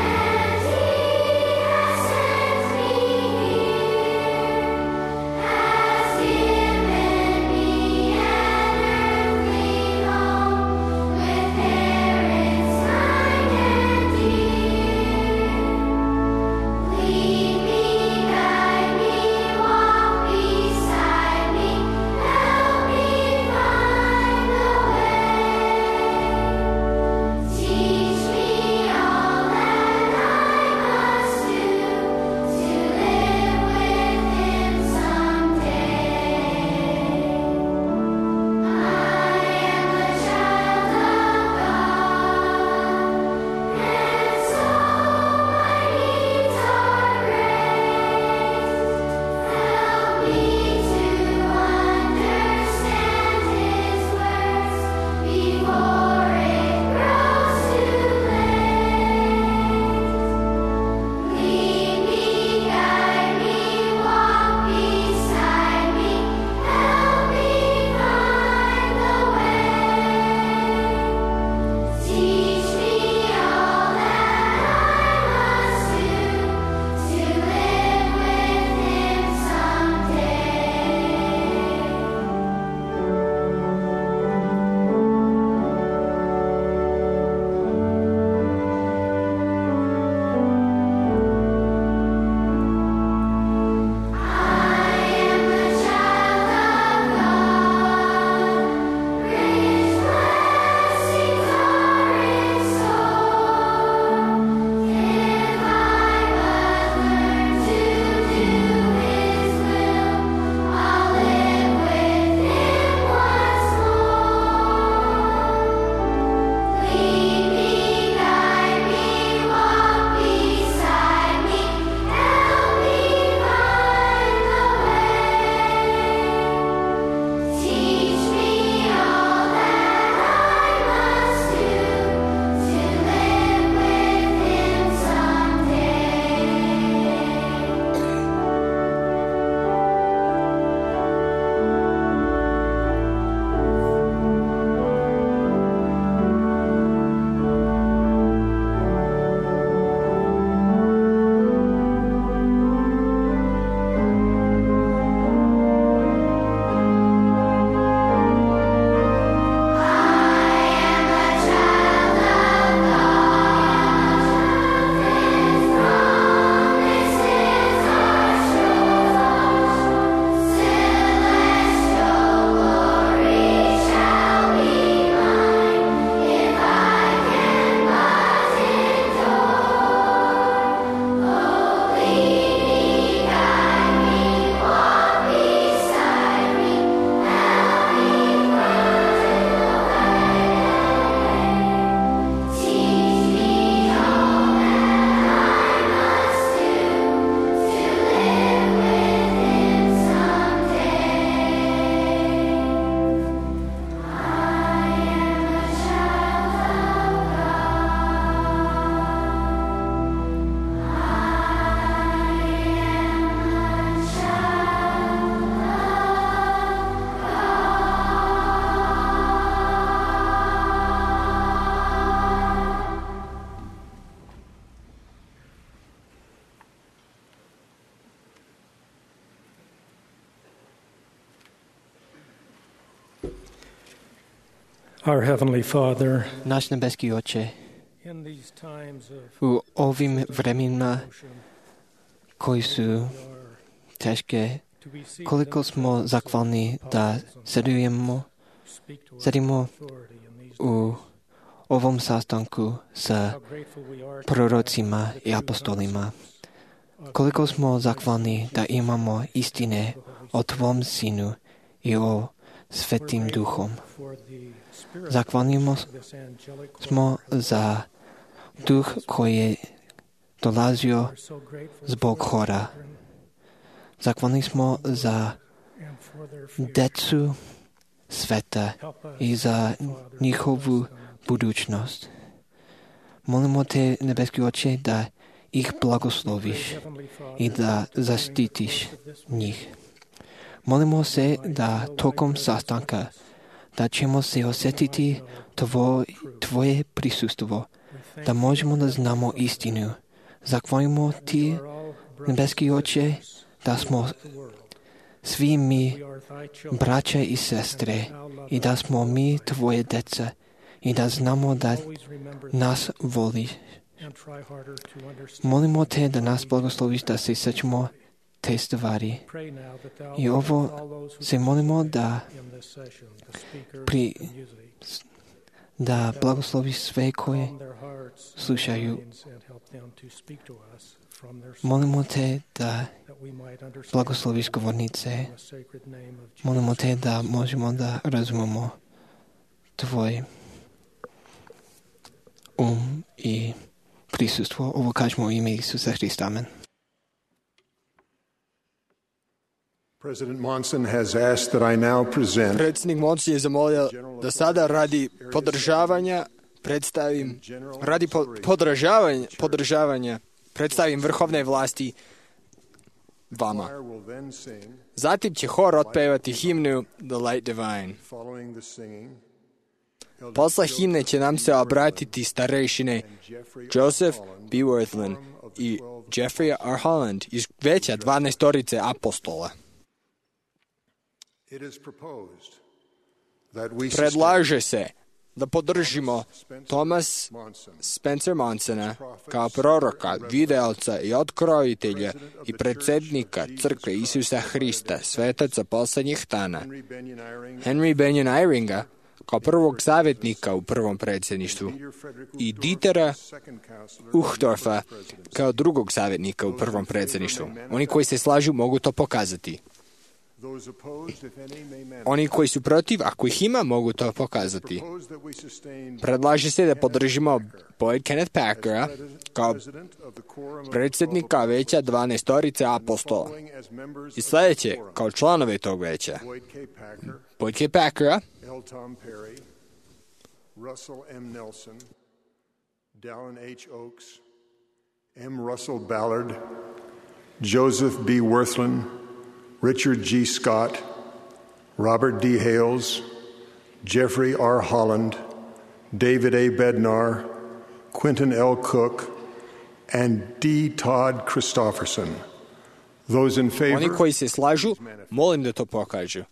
And he has sent me here. Our Heavenly Father, Náš nebeský Oče, in these times of u ovim vremenima koji su teške, to receive koliko smo zahvalni da sedimo u ovom sastanku sa prorocima i apostolima. Koliko smo zahvalni da imamo istine o Tvom Sinu i o Svetim Duhom. Zahvalnimo smo za duh koji je dolazio zbog hora. Zahvalni smo za decu sveta i za njihovu budućnost. Molimo te, nebeski Oče, da ih blagosloviš i da zaštitiš njih. Molimo se da tokom sastanka da ćemo se osjetiti Tvoje prisustvo, da možemo da znamo istinu. Zahvalimo Ti, nebeski Oče, da smo svi mi braća i sestre i da smo mi Tvoje deca i da znamo da nas voliš. Molimo Te da nas blagosloviš da se sjećamo te stvari. I ovo se molimo da blagosloviš sve koje slušaju. Molimo Te da blagosloviš govornice. Molimo Te da možemo da razumemo Tvoj i prisustvo. Ovo kažemo u ime Isusa Hrista. Amen. President Monson has asked that I now present Predsjednik Monson je zamolio da sada radi podržavanja predstavim vrhovne vlasti vama. Zatim će hor otpevati himnu The Light Divine. Posle himne će nam se obratiti starešine Joseph B. Worthland i Jeffrey R. Holland iz veća 12 apostola. Predlaže se da podržimo Thomas Spencer Monsona kao proroka, videoca i otkrojitelja i predsjednika Crkve Isusa Hrista, svetaca poslednjih dana, Henry Benyon Eyringa kao prvog savjetnika u prvom predsjedništvu i Dietera Uchtdorfa kao drugog savjetnika u prvom predsjedništvu. Oni koji se slažu mogu to pokazati. Oni koji su protiv, ako ih ima, mogu to pokazati. Predlaže se da podržimo Boyd Kenneth Packera kao predsjednika veća 12 apostola. I sljedeće, kao članove tog veća, Boyd K. Packera, L. Tom Perry, Russell M. Nelson, Dallin H. Oaks, M. Russell Ballard, Joseph B. Worthland, Richard G. Scott, Robert D. Hales, Jeffrey R. Holland, David A. Bednar, Quentin L. Cook, and D. Todd Christofferson. Those in favor, oni koji se slažu, molim da to pokažu.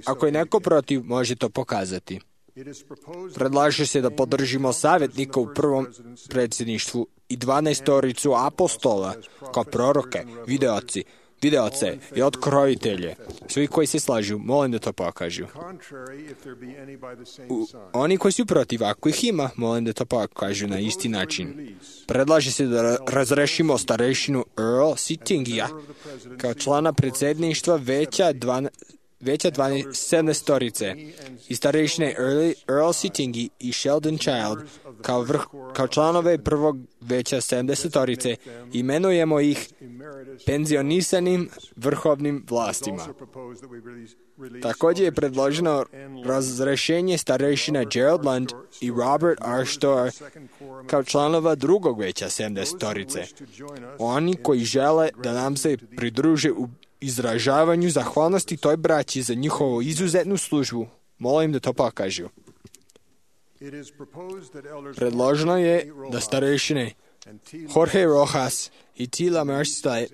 Ako je neko protiv, može to pokazati. Predlaže se da podržimo savjetnika u prvom predsjedništvu i 12 apostola kao proroke, videoce i otkrojitelje. Svi koji se slažu, molim da to pokažu. Oni koji su protiv, ako ih ima, molim da to pokažu na isti način. Predlaže se da razrešimo starešinu Earl Sittingija kao člana predsjedništva veća 17 i starešine Earl Sittingi i Sheldon Child kao članove prvog veća 70 imenujemo ih penzionisanim vrhovnim vlastima. Također je predloženo razrešenje starešina Gerald Lund i Robert R. Storr kao članova drugog veća 70. Oni koji žele da nam se pridruže u izražavanju zahvalnosti toj braći za njihovu izuzetnu službu, molim da to pokažu. Predloženo je da starešine Jorge Rojas i Tila Merstad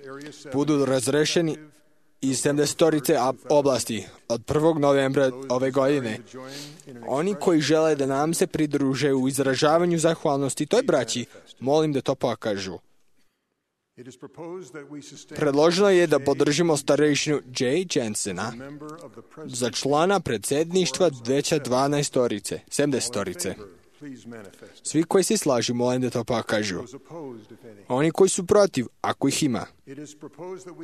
budu razrešeni iz 70 oblasti od 1. novembra ove godine. Oni koji žele da nam se pridruže u izražavanju zahvalnosti toj braći, molim da to pokažu. Predloženo je da podržimo starejšinu Jay Jensena za člana predsjedništva veća 70. Svi koji se slažu, molim da to pokažu. Oni koji su protiv, ako ih ima.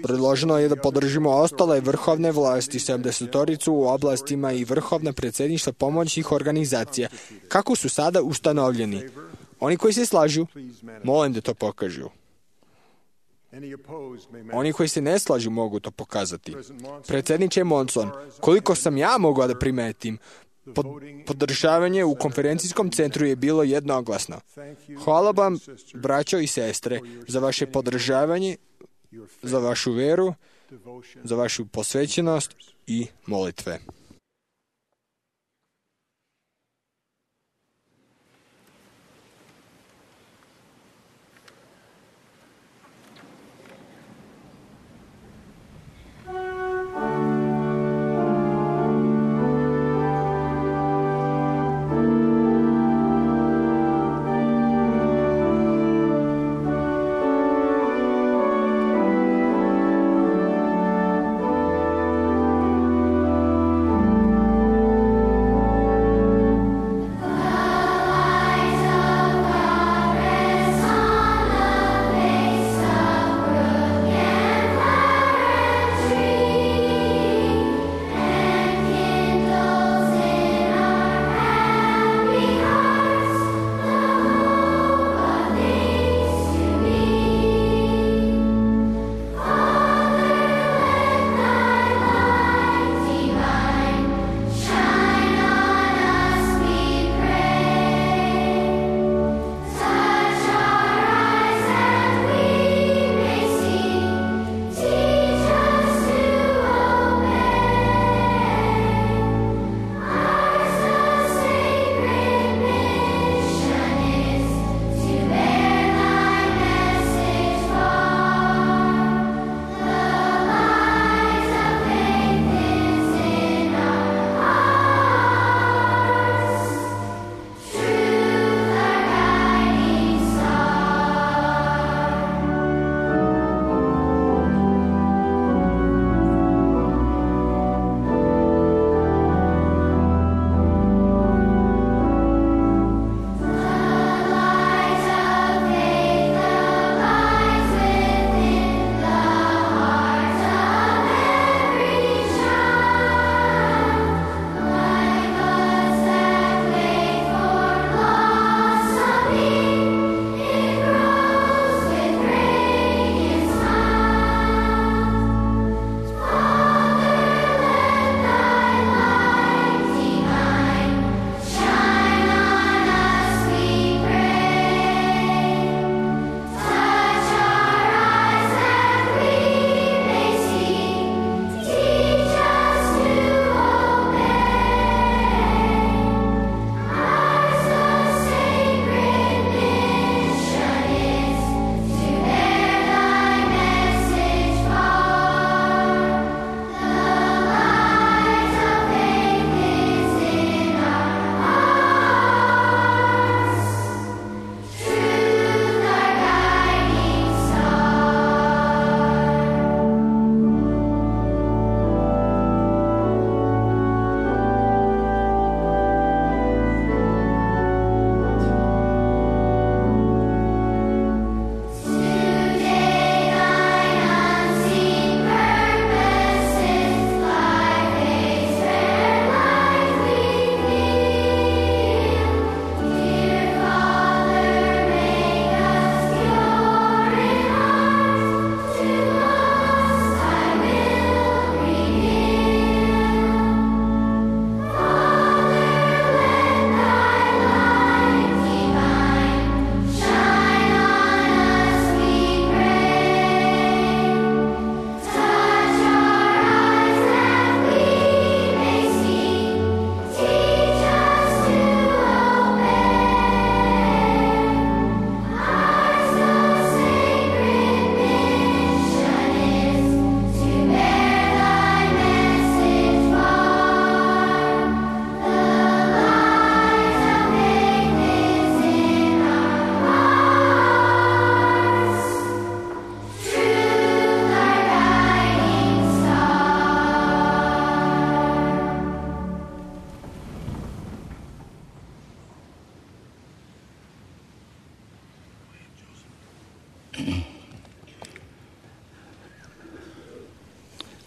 Predloženo je da podržimo ostale vrhovne vlasti 70 u oblastima i vrhovna predsjedništva pomoćnih organizacija, kako su sada ustanovljeni. Oni koji se slažu, molim da to pokažu. Oni koji se ne slažu mogu to pokazati. Predsjedniče Monson, koliko sam ja mogao da primetim, podržavanje u konferencijskom centru je bilo jednoglasno. Hvala vam, braćo i sestre, za vaše podržavanje, za vašu veru, za vašu posvećenost i molitve.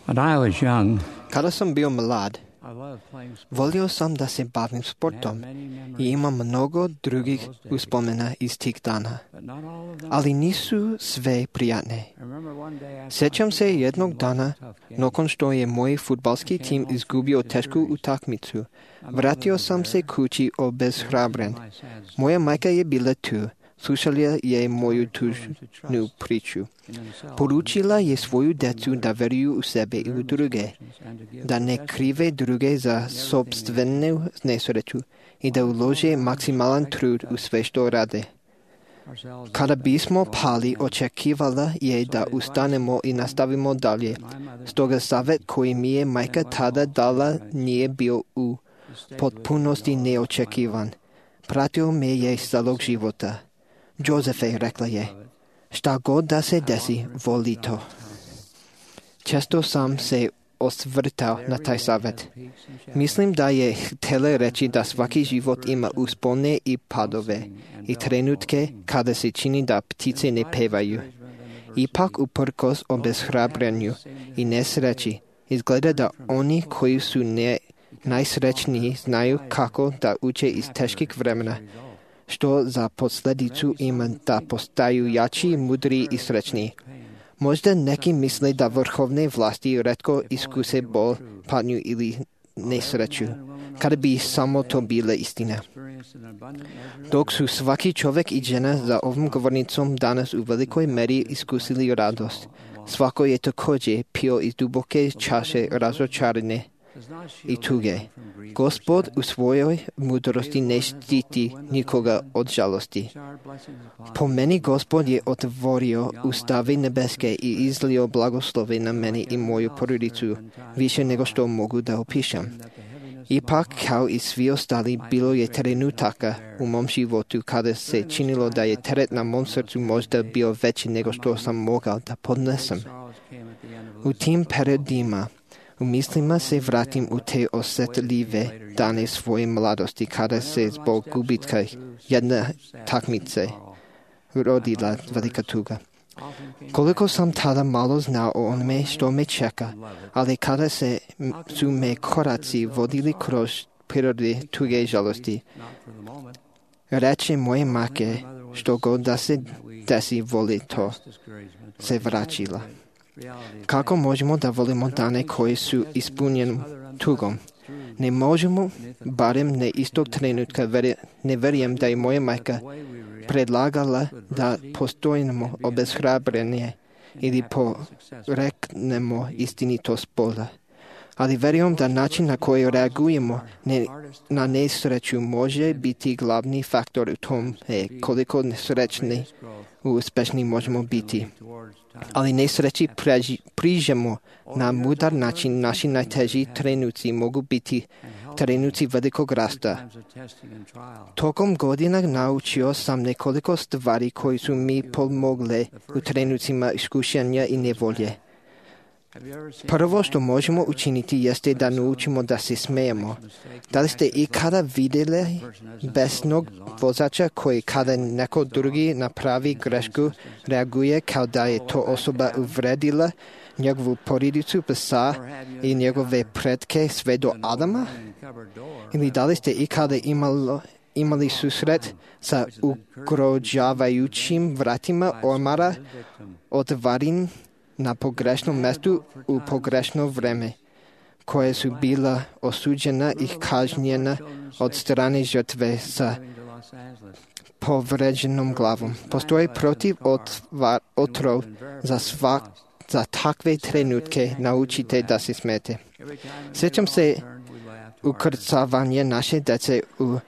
When I was young, Kada sam bio mlad, I loved playing sports. volio sam da se bavim sportom i imam mnogo drugih uspomena iz tih dana, But not all of them. ali nisu sve prijatne. I remember one day I Sjećam se jednog dana, nakon što je moj fudbalski tim izgubio tešku utakmicu, vratio sam se kući obeshrabren. Moja majka je bila tu, slušala je moju tužnu priču. Poručila je svoju djecu da veruju u sebe i u druge, da ne krive druge za sopstvenu nesreću i da ulože maksimalan trud u sve što rade. Kada bismo pali, očekivala je da ustanemo i nastavimo dalje. Stoga savjet koji mi je majka tada dala nije bio u potpunosti neočekivan. Pratio me je celog života. Josefe, rekla je, šta god da se desi, voli to. Često sam se osvrtao na taj savjet. Mislim da je htjela reći da svaki život ima uspone i padove i trenutke kada se čini da ptice ne pevaju. Ipak uprkos obeshrabrenju i nesreći, izgleda da oni koji su najsrećniji znaju kako da uče iz teških vremena, što za posljedicu ima da postaju jači, mudri i srećniji. Možda neki misle da vrhovne vlasti retko iskuse bol, patnju ili nesreću, kada bi samo to bila istina. Dok su svaki čovjek i žena za ovom govornicom danas u velikoj meri iskusili radost, svako je također pio iz duboke čaše razočarane i tuge. Gospod u svojoj mudrosti ne štiti nikoga od žalosti. Po meni Gospod je otvorio ustave nebeske i izlio blagoslove na meni i moju porodicu, više nego što mogu da opišem. Ipak, kao i svi ostali, bilo je trenutaka u mom životu kada se činilo da je teret na mom srcu možda bio veći nego što sam mogao da podnesem. U tim periodima u mislima se vratim u te osjetljive dane svoje mladosti kada se zbog gubitka jedne takmice rodila velika tuga. Koliko sam tada malo znao o onome što me čeka, ali kada su me koraci vodili kroz prirode tuge i žalosti, reče moje majke, što god da se desi, voli to, se vraćila. Kako možemo da volimo dane koji su ispunjeni tugom? Ne možemo, barem ne istog trenutka, ne vjerujem da je moja majka predlagala da postojimo obeshrabrenje ili poreknemo istinitost Boga. Ali vjerujem da način na koji reagujemo na nesreću može biti glavni faktor u tom koliko nesrećni i uspješni možemo biti. Ali nesreći prižemo na mudar način. Naši najteži trenuci mogu biti trenuci velikog rasta. Tokom godina naučio sam nekoliko stvari koji su mi pomogle u trenucima iskušenja i nevolje. Prvo što možemo učiniti jeste da naučimo da se smijemo. Da li ste ikada vidjeli besnog vozača koji kada neko drugi napravi grešku reaguje kao da je to osoba uvredila njegovu porodicu, psa i njegove pretke sve do Adama? Ili da li ste ikada imali susret sa ugrožavajućim vratima ormara otvorenim na pogrešnom mjestu u pogrešno vrijeme, koje su bila osuđena i kažnjena od strane žrtve sa povređenom glavom? Postoji protiv otrov za takve trenutke. Naučite da se smete. Sjećam se ukrcavanje naše djece u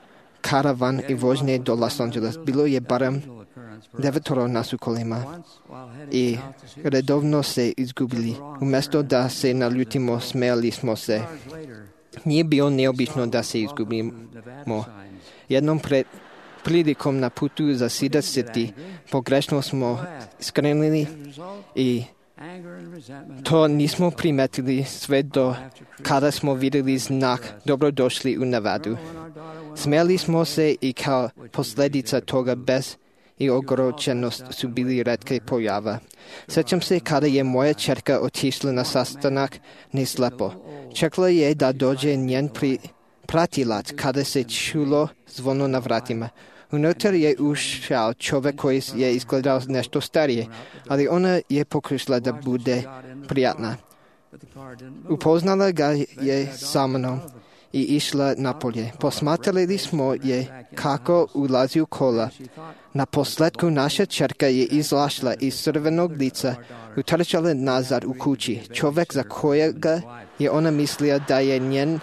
karavan i vožnje do Los Angeles. Bilo je barem 9 nas u kolima i redovno se izgubili. Umjesto da se naljutimo, smijali smo se. Nije bilo neobično da se izgubimo. Jednom prilikom na putu za Cedar City pogrešno smo skrenuli i to nismo primetili sve do kada smo vidjeli znak dobrodošli u Nevadu. Smijali smo se i kao posljedica toga bez и огорченост su bili retke pojava. Sećam se kada je moja ćerka otišla na sastanak neslepo. Čekala je da dođe njen pratilac kada se čulo zvono na vratima. Unutar je ušao čovjek koji je izgledao nešto starije, ali ona je pokušala da bude prijatna. Upoznala ga je sa mnom i išla napolje. Posmatrali smo je kako ulazi u kola. Na posledku naša ćerka je izašla iz crvenog lica, utrčala nazad u kući. Čovjek za kojega je ona mislila da je njen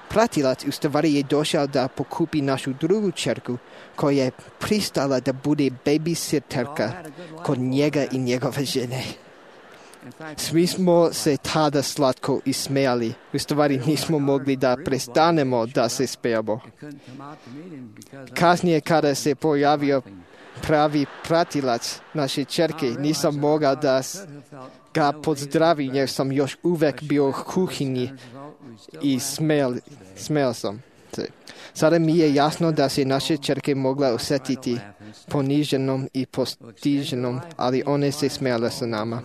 pratilac u stvari je došao da pokupi našu drugu ćerku, koja je pristala da bude babysitterka kod njega i njegove žene. Svi smo se tada slatko ismejali. U stvari nismo mogli da prestanemo da se smejemo. Kasnije kada se pojavio pravi pratilac naše ćerke, nisam mogao da ga pozdravim jer sam još uvek bio u kuhinji i smejao sam se. Sada mi je jasno da se naše ćerke mogla osjetiti poniženom i postiženom, ali one se smejale sa nama.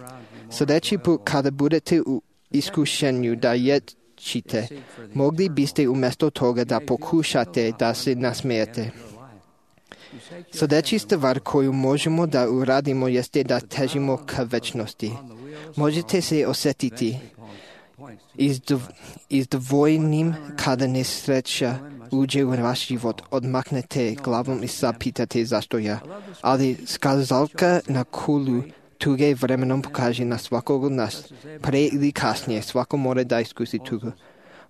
Sljedeći put kada budete u iskušenju da ječite, mogli biste umjesto toga da pokušate da se nasmijete. Sljedeći stvar koju možemo da uradimo jeste da težimo ka večnosti. Možete se osjetiti izdvojenim kada nesreća uđe u vaš život. Odmaknete glavom i zapitate zašto ja. Ali skazalka na kulu tuge vremenom pokaže na svakog od nas. Pre ili kasnije svako mora da iskusi tugu.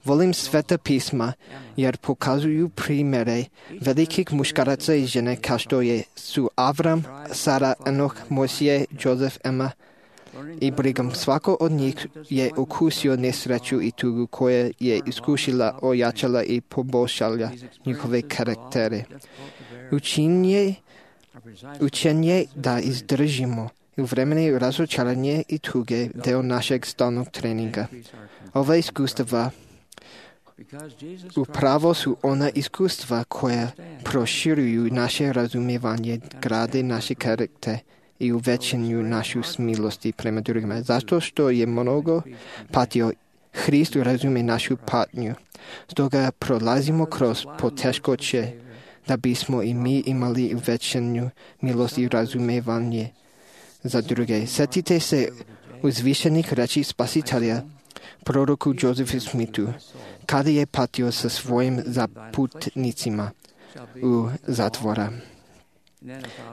Volim Sveta pisma jer pokazuju primjere velikih muškaraca i žene kao što su Avram, Sara, Enoch, Mojsije, Jozef, Emma i Brigham. Svako od njih je okusio nesreću i tugu koja je iskušila, ojačala i poboljšala njihove karaktere. Učenje da izdržimo u vremenu razočaranje i tuge deo našeg stalnog treninga. Ova iskustva upravo su ona iskustva koja proširuju naše razumijevanje, grade naše karaktere i uvećenju našu smilosti prema drugima. Zato što je mnogo patio, Hrist razume našu patnju. Stoga prolazimo kroz poteškoće da bismo i mi imali uvećenju milosti i razumijevanje za druge. Sjetite se uzvišenih reči Spasitelja, proroku Josephu Smithu, kada je patio sa svojim zaputnicima u zatvora.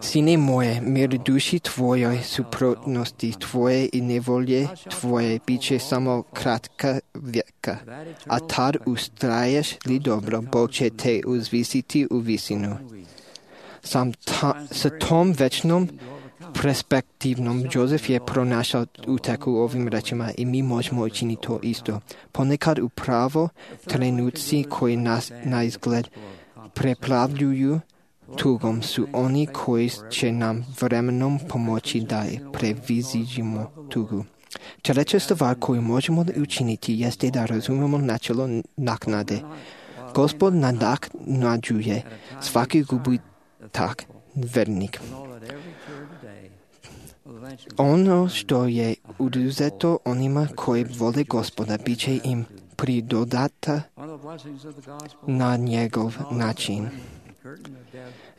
Sine moje, mir duši tvojoj, suprotnosti tvoje i nevolje tvoje biće samo kratka vijeka, a tad ustraješ li dobro, Bog će te uzvisiti u visinu. Sa tom večnom perspektivnom Josef je pronašao uteku ovim rečima i mi možemo učiniti to isto. Ponekad upravo trenuci koji nas na izgled preplavljuju tugom su oni koji će nam vremenom pomoći da prevaziđemo tugu. Treća stvar koju možemo učiniti jeste da razumemo načelo naknade. Gospod nadoknađuje svaki gubitak vernik. Ono što je uzeto onima koji vole Gospoda bit će im pridodata na njegov način.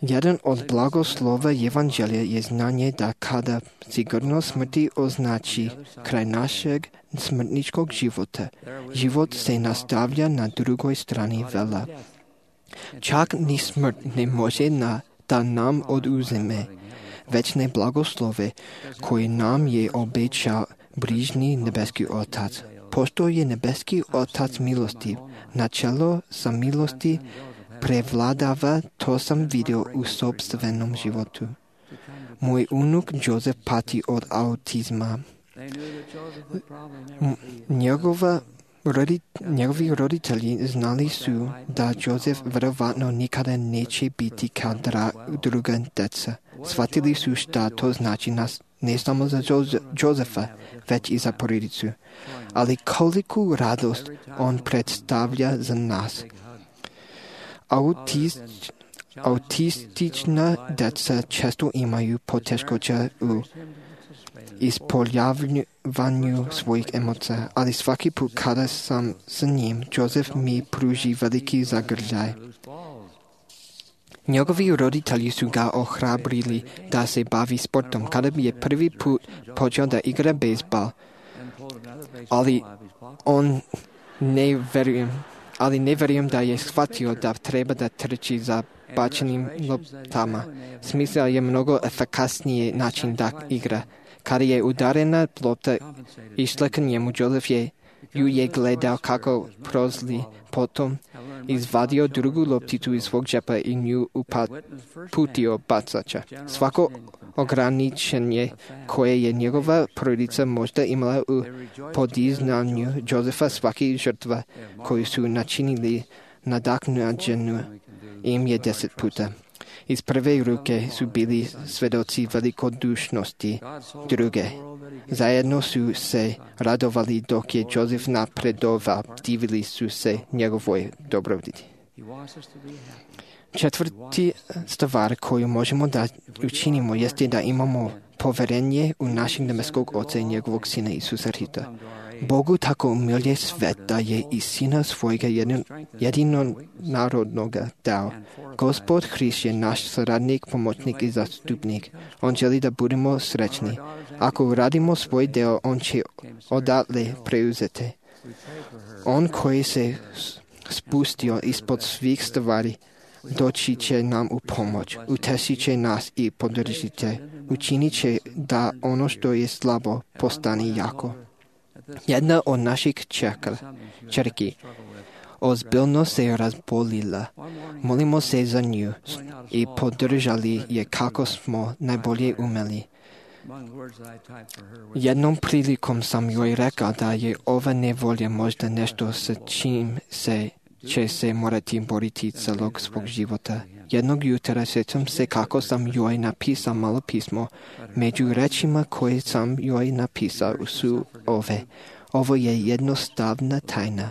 Jedan od blagoslova Evanđelja je znanje da kada sigurnost smrti označi kraj našeg smrtničkog života, život se nastavlja na drugoj strani vela. Čak ni smrt ne može da nam oduzme večne blagoslove koje nam je obećao brižni nebeski Otac. Pošto je nebeski Otac milostiv, načelo sa milosti prevladava, to sam vidio u sopstvenom životu. Moj unuk Josef pati od autizma. Njegovi roditelji znali su da Josef vjerovatno nikada neće biti kao druga deca. Shvatili su šta to znači ne samo za Josefa, već i za porodicu. Ali koliku Autistичna деца често имaju poteškoća u ispoljavljanju svojih emocija, ali svaki put kada sam s njim, Josef mi pruži veliki zagrljaj. Njegovi roditelji su ga ohrabrili da se bavi sportom. Kada bi je prvi put počeo da igra bejsbol, ali ne vjerujem da je shvatio da treba da trči za bačenim loptama. Smislio je mnogo efikasniji način da igra. Kada je udarena lopta išla k njemu, Josef ju je gledao kako prozli, potom izvadio drugu lopticu iz svog džepa i nju uputio bacača. Svako ograničenje koje je njegova porodica možda imala u podizanju Josefa, svaki žrtva koju su načinili nadoknađenu im je 10 puta. Iz prve ruke su bili svedoci velikodušnosti druge. Zajedno su se radovali dok je Josef napredovao, divili su se njegovoj dobrobiti. Četvrti stvar koju možemo da učinimo jeste da imamo poverenje u našeg nebeskog Oca i njegovog Sina Isusa Hrista. Bogu tako umilje svet da je i Sina svojega jedinonarodnoga dao. Gospod Hrist je naš saradnik, pomoćnik i zastupnik. On želi da budemo srećni. Ako uradimo svoj deo, on će odatle preuzeti. On koji se spustio ispod svih stvari, doći će nam u pomoć, utešit će nas i podržit će. Učinit će da ono što je slabo postane jako. Jedna od naših čerki ozbiljno se razbolila. Molimo se za nju i podržali je kako smo najbolje umeli. Jednom prilikom sam joj rekao da je ova nevolja možda nešto sa čim će se morati boriti celog svog života. Jednog jutra sjećam se kako sam joj napisao malo pismo. Među rečima koje sam joj napisao su ove. Ovo je jednostavna tajna.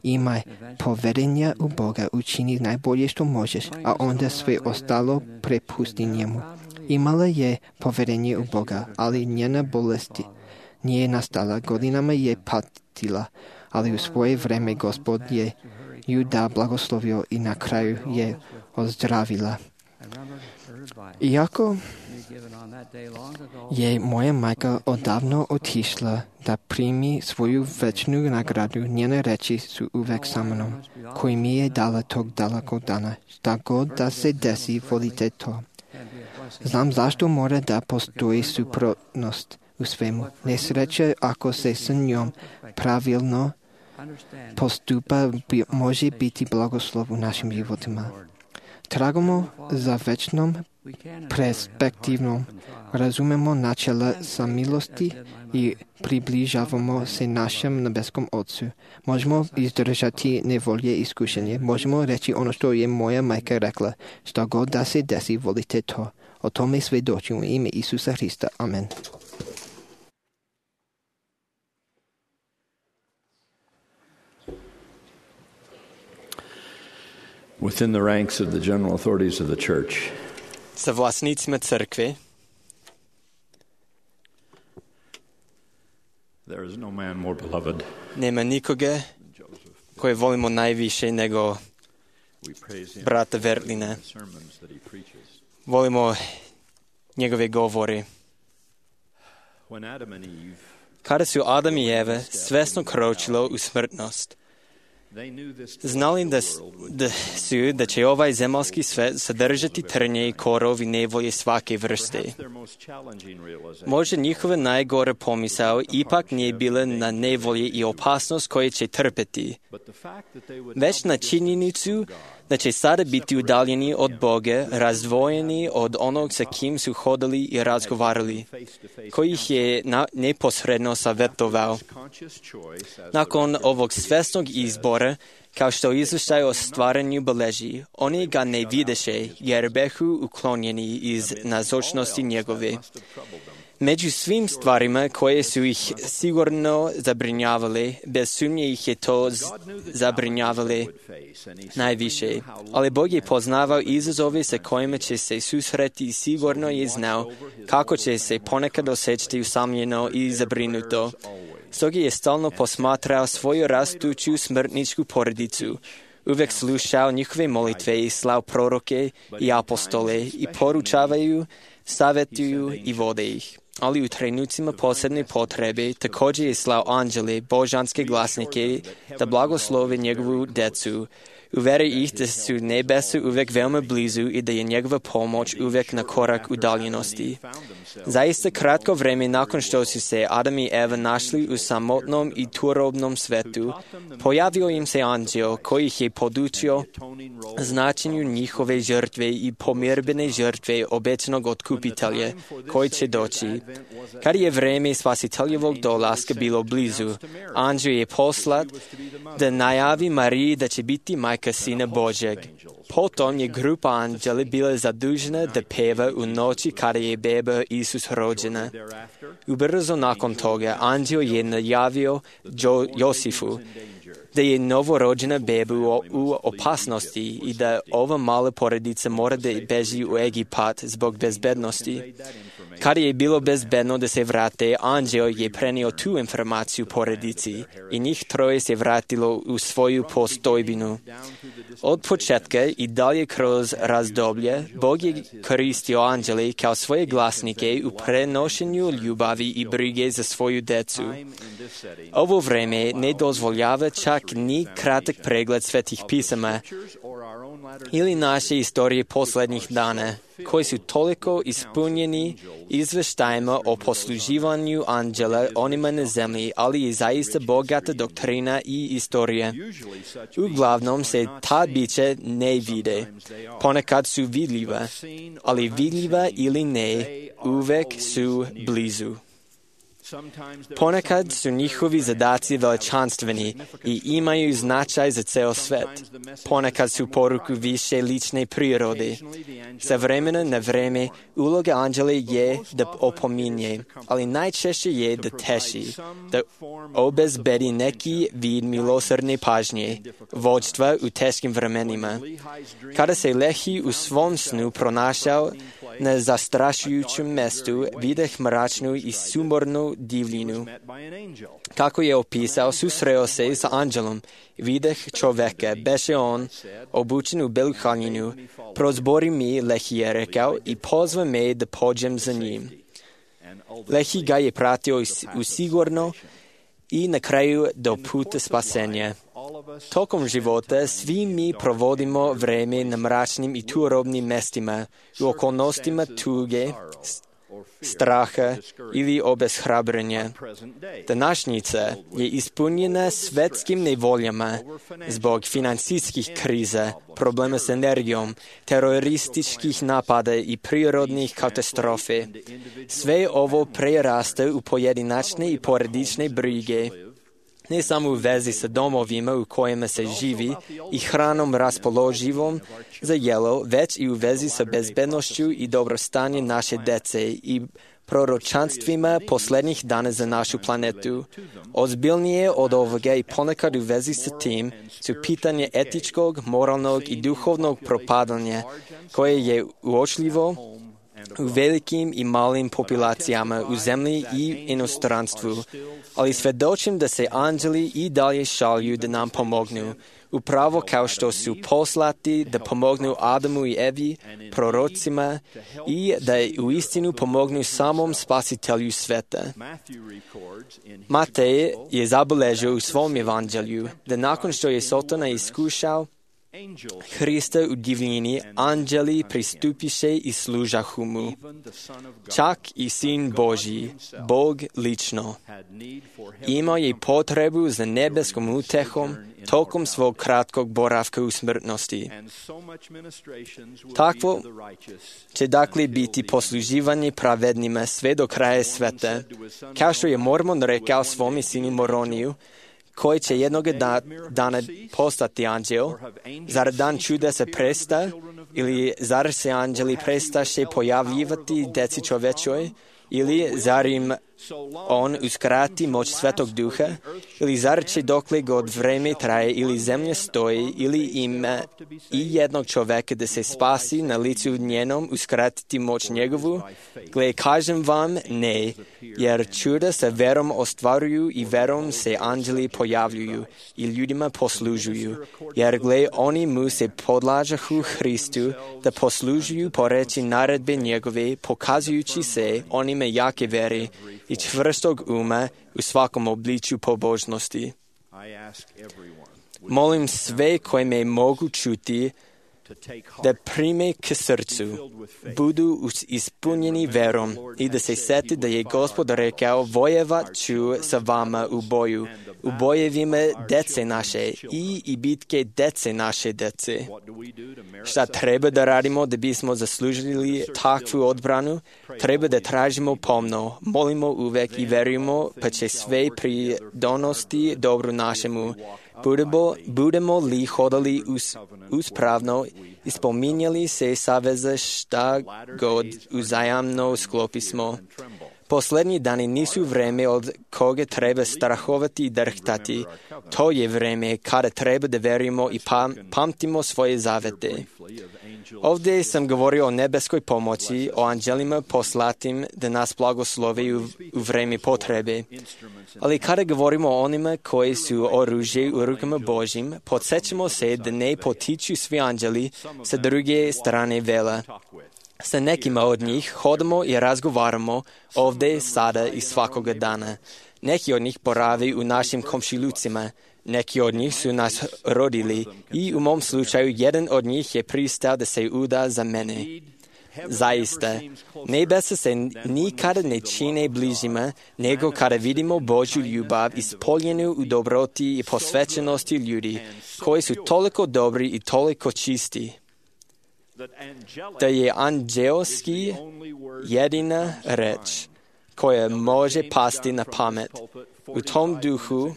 Imaj poverenja u Boga, učini najbolje što možeš, a onda sve ostalo prepusti njemu. Imala je poverenje u Boga, ali njena bolest nije nastala. Godinama je patila, ali u svoje vreme Gospod je ju da blagoslovio i na kraju je ozdravila. Iako je moja majka odavno otišla da primi svoju večnu nagradu, njene reči su uvek sa mnom, koji mi je dala tog dalekog dana. Šta god da se desi, volite to. Znam zašto mora da postoji suprotnost u svemu. Nesreća ako se s njom pravilno postupa može biti blagoslov u našim životima. Tragamo za večnom perspektivnom, razumemo načela samilosti i približavamo se našem nebeskom Otcu. Možemo izdržati nevolje i iskušenje. Možemo reći ono što je moja majka rekla. Šta god da se desi, volite to. O tome svedočim u ime Isusa Hrista. Amen. Within the ranks of the general authorities of the church, sa vlasnicima crkve there is no man more beloved. Nema nikoga koje volimo najviše nego brata Verlina. Volimo njegove govore. Kada su Adam i Eva svesno kročilo u smrtnost, znali da će ovaj zemaljski svet sadržati trnje i korov i nevolje svake vrste. Možda njihova najgora pomisao ipak nije bila na nevolje i opasnost koje će trpeti, već na činjenicu da će sada biti udaljeni od Boga, razdvojeni od onog sa kim su hodali i razgovarali, koji ih je neposredno savjetovao. Nakon ovog svesnog izbora, kao što izvještaj o stvaranju beleži, oni ga ne videše, jer behu uklonjeni iz nazočnosti njegove. Među svim stvarima koje su ih sigurno zabrinjavale, bez sumnje ih je to zabrinjavale najviše. Ali Bog je poznavao izazove sa kojima će se susreti i sigurno je znao kako će se ponekad osjećati usamljeno i zabrinuto. Stoga je stalno posmatrao svoju rastuću smrtničku porodicu, uvijek slušao njihove molitve i slao proroke i apostole i poručavaju, savjetuju i vode ih. Ali u trenucima posebne potrebe također je slao anđele, božanske glasnike, da blagoslove njegovu djecu, uveri ih da su nebesa uvijek veoma blizu i da je njegova pomoć uvijek na korak udaljenosti. Zaista kratko vrijeme nakon što su se Adam i Eva našli u samotnom i turobnom svetu, pojavio im se anđeo koji ih je podučio značenju njihove žrtve i pomirbene žrtve obećanog otkupitelja koji će doći. Kad je vrijeme spasiteljevog dolaska bilo blizu, anđeo je poslat da najavi Mariji da će biti majka Sina Božjeg. Potom je grupa anđela bila zadužena da peva u noći kada je beba Isus rođena. Ubrzo nakon toga anđeo je najavio Josifu da je novorođena beba u opasnosti i da ova mala porodica mora da beži u Egipat zbog bezbednosti. Kada je bilo bezbedno da se vrate, anđeo je prenio tu informaciju porodici i njih troje se vratilo u svoju postojbinu. Od početka i dalje kroz razdoblje, Bog je koristio anđele kao svoje glasnike u prenošenju ljubavi i brige za svoju djecu. Ovo vrijeme ne dozvoljava čak ni kratak pregled svetih pisama ili naše istorije posljednjih dana, koji su toliko ispunjeni izveštajima o posluživanju anđela onima na zemlji, ali je zaista bogata doktrina i istorija. Uglavnom se ta bića ne vide. Ponekad su vidljiva, ali vidljiva ili ne, uvek su blizu. Ponekad su njihovi zadaci veličanstveni i imaju značaj za ceo svet. Ponekad su poruku više lične prirode. Sa vremena na vreme uloga anđela je da opominje, ali najčešće je da teši, da obezbedi neki vid milosrdne pažnje, vođstva u teškim vremenima. Kada se Lehi u svom snu pronašao na zastrašujućem mestu, videh mračnu i sumornu divljinu. Kako je opisao, susreo se sa anđelom, videh čoveka, beše on, obučen u belu haljinu, prozbori mi, Lehi je rekao, i pozva me da pođem za njim. Lehi ga je pratio usigurno i na kraju do puta spasenja. Tokom života svi mi provodimo vreme na mračnim i turobnim mestima, u okolnostima tuge, straha ili obeshrabrenja. Današnjica je ispunjena svetskim nevoljama zbog financijskih kriza, problema s energijom, terorističkih napada i prirodnih katastrofe. Sve ovo prerasta u pojedinačne i porodične brige, ne samo u vezi sa domovima u kojima se živi i hranom raspoloživom za jelo, već i u vezi sa bezbednošću i dobrostanje naše dece i proročanstvima posljednjih dana za našu planetu. Ozbiljnije od ovoga i ponekad u vezi sa tim su pitanje etičkog, moralnog i duhovnog propadanja, koje je uočljivo u velikim i malim populacijama u zemlji i inostranstvu, ali svjedočim da se anđeli i dalje šalju da nam pomognu, upravo kao što su poslati da pomognu Adamu i Evi, prorocima, i da uistinu pomognu samom spasitelju sveta. Matej je zabeležio u svom evanđelju da nakon što je Sotona iskušao Hrista u divljini, anđeli pristupiše i služahu mu. Čak i Sin Božji, Bog lično, imao je potrebu za nebeskom utehom tokom svog kratkog boravka u smrtnosti. Takvo će dakle biti posluživanje pravednima sve do kraja sveta, kao što je Mormon rekao svome sinu Moroniju, koji će jednog dana postati anđel, zar dan čuda se presta Ili zar se anđeli prestaše pojavljivati deci čovečoj? Ili zar im on uskrati moć Svetog Duha? Ili zar će dokle god vreme traje ili zemlja stoji, ili ima i jednog čoveka da se spasi na licu njenom uskratiti moć njegovu? Gle, kažem vam, ne, jer čuda sa verom ostvaruju i verom se anđeli pojavljuju i ljudima poslužuju. Jer gle, oni mu se podlažahu Hristu da poslužuju po reči naredbe njegove, pokazujući se onime jake vere i čvrstog uma u svakom obličju pobožnosti. Molim sve koje me mogu čuti da prime k srcu, budu ispunjeni verom i da se sete da je Gospod rekao, vojevat ću sa vama u boju, u bojevima dece naše i bitke dece naše dece. Šta treba da radimo da bismo zaslužili takvu odbranu? Treba da tražimo pomno, molimo uvek i verujemo, pa će sve pridonosti dobru našemu. Budemo li hodali uspravno, ispominjali se saveza šta god uzajamno sklopismo. Poslednji dani nisu vreme od koga treba strahovati i drhtati. To je vreme kada treba da verujemo i pamtimo svoje zavete. Ovdje sam govorio o nebeskoj pomoći, o anđelima poslatim da nas blagoslove u vreme potrebe. Ali kada govorimo o onima koji su oružje u rukama Božjim, podsjećamo se da ne potiču svi anđeli sa druge strane vela. Sa nekima od njih hodamo i razgovaramo ovdje, sada i svakoga dana. Neki od njih borave u našim komšilucima. Neki od njih su nas rodili i u mom slučaju jedan od njih je pristao da se uda za mene. Zaista, nebesa se nikada ne čine bližima nego kada vidimo Božju ljubav ispoljenu u dobroti i posvećenosti ljudi koji su toliko dobri i toliko čisti. Da je anđelski jedina reč koja može pasti na pamet. U tom duhu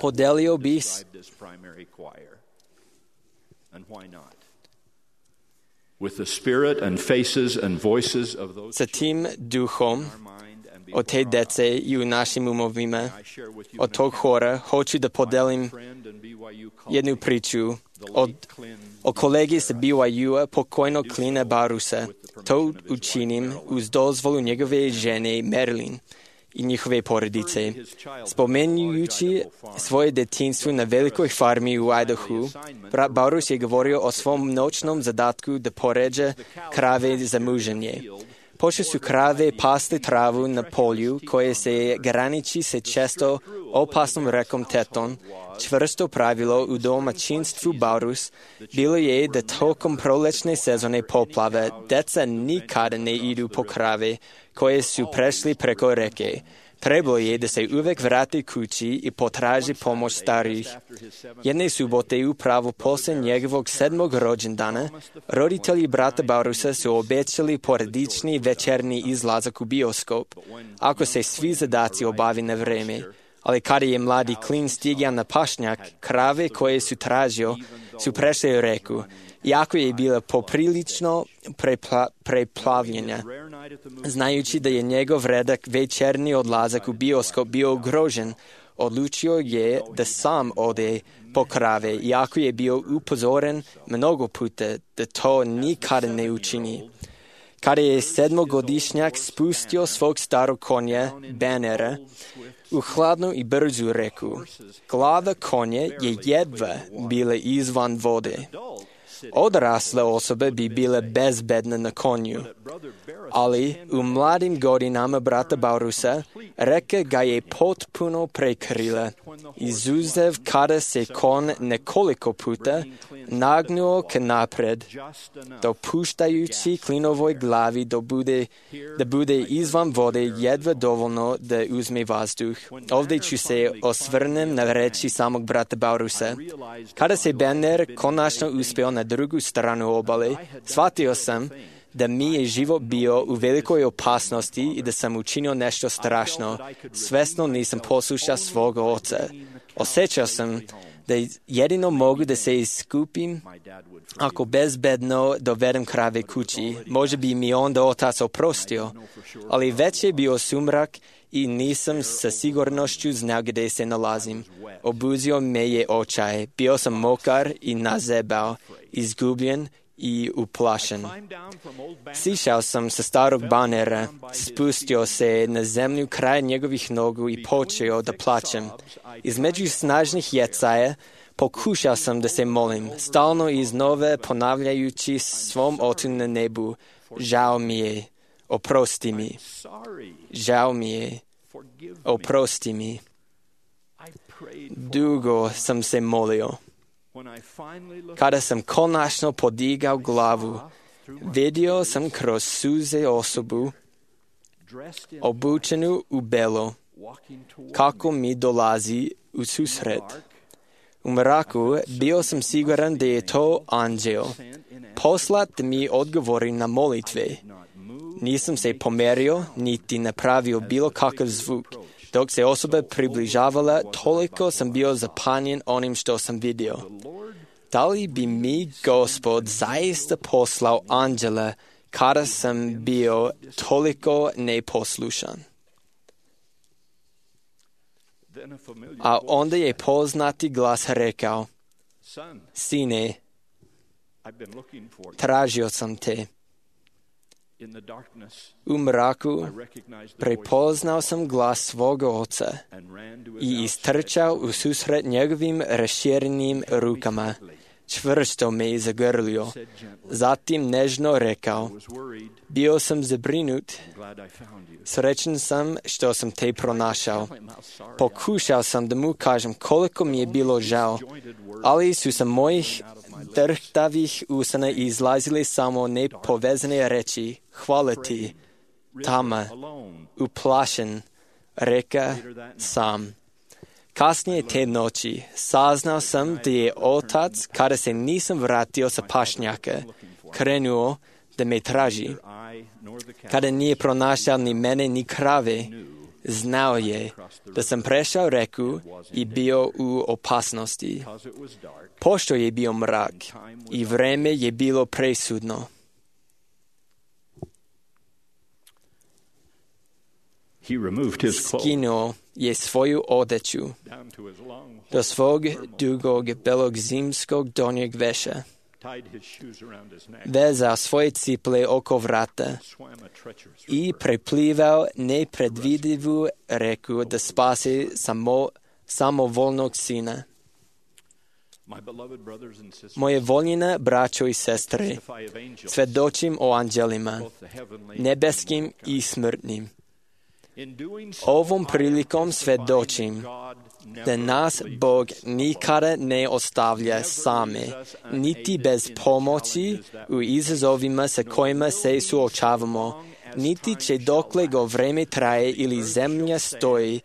podelio bih sa tim duhom od te dece i u našim umovima, od tog hora, hoću da podelim jednu priču o kolegi sa BYU-a, pokojnog Clina Barusa. To učinim uz dozvolu njegove žene Marilyn i njihove porodice. Spomenjujući svoje detinjstvo na velikoj farmi u Idahu, brat Barus je govorio o svom noćnom zadatku da poređa krave za muženje. Pošto su krave pasti travu na polju koje se graniči sa često opasnom rekom Teton, čvrsto pravilo u domaćinstvu Barus bilo je da tokom prolećne sezone poplave deca nikada ne idu po krave koje su prešli preko reke. Trebalo je da se uvek vrati kući i potraži pomoć starih. Jedne subote upravo posle njegovog 7. rođendana, roditelji brata Barusa su obećali porodični večerni izlazak u bioskop, ako se svi zadaci obavi na vreme. Ali kada je mladi Clin stigao na pašnjak, krave koje su tražio su prešle reku, iako je bila poprilično preplavljena. Znajući da je njegov redak večerni odlazak u bioskop bio ugrožen, odlučio je da sam ode po krave, iako je bio upozoren mnogo puta da to nikada ne učini. Kada je 7-godišnjak spustio svog starog konja, Bannera, u hladnu i brzu reku, glava konja je jedva bila izvan vode. Odrasle osobe bi bile bezbedne na konju, ali u mladim godinama brata Barusa reka ga je potpuno prekrila. Izuzev kada se kon nekoliko puta nagnuo k napred, dopuštajući Clinovoj glavi da bude izvan vode jedva dovoljno da uzme vazduh. Ovdje ću se osvrnem na reči samog brata Barusa. Kada se Banner konačno uspeo na drugu stranu obale, shvatio sam da mi je život bio u velikoj opasnosti i da sam učinio nešto strašno. Svesno nisam poslušao svog oca. Osjećao sam da jedino mogu da se iskupim ako bezbedno dovedem krave kući. Može bi mi onda otac oprostio, ali već je bio sumrak i nisam sa sigurnošću znao gdje se nalazim. Obuzio me je očaj, bio sam mokar i nazebao, izgubljen i uplašen. Sišao sam sa starog banera, spustio se na zemlju kraj njegovih nogu i počeo da plačem. Između snažnih jecaja pokušao sam da se molim, stalno iznova ponavljajući svom ocu na nebu: žao mi je, oprosti mi. Žao mi je, oprosti mi. Dugo sam se molio. Kada sam konačno podigao glavu, vidio sam kroz suze osobu, obučenu u belo, kako mi dolazi u susret. U mraku bio sam siguran da je to anđel, poslat da mi odgovori na molitve. Nisam se pomerio, niti napravio bilo kakav zvuk. Dok se osoba približavala, toliko sam bio zapanjen onim što sam vidio. Da li bi mi Gospod zaista poslao anđela kada sam bio toliko neposlušan? A onda je poznati glas rekao: Sine, tražio sam te. U mraku prepoznao sam glas svoga oca i istrčao u susret njegovim raširenim rukama. Čvrsto me je zagrlio. Zatim nežno rekao: bio sam zabrinut. Srećan sam što sam te pronašao. Pokušao sam da mu kažem koliko mi je bilo žao, ali su sa mojih drhtavih usana izlazile samo nepovezane reči: hvala ti, tama, uplašen, reka sam. Kasnije te noći saznao sam da je otac, kada se nisam vratio sa pašnjaka, krenuo da me traži. Kada nije pronašao ni mene ni krave, znao je da sam prešao reku i bio u opasnosti. Pošto je bio mrak i vreme je bilo presudno. Skinuo je svoju odeću do svog dugog belog zimskog donjeg veša. Vezao svoje ciple oko vrata i preplivao nepredvidivu reku da spase samovolnog sina. Moje voljene braćo i sestre, svedočim o anđelima, nebeskim i smrtnim. Ovom prilikom svedočim da nas Bog nikada ne ostavlja same, niti bez pomoći u izazovima sa kojima se suočavamo, niti će dokle go vreme traje ili zemlja stoji,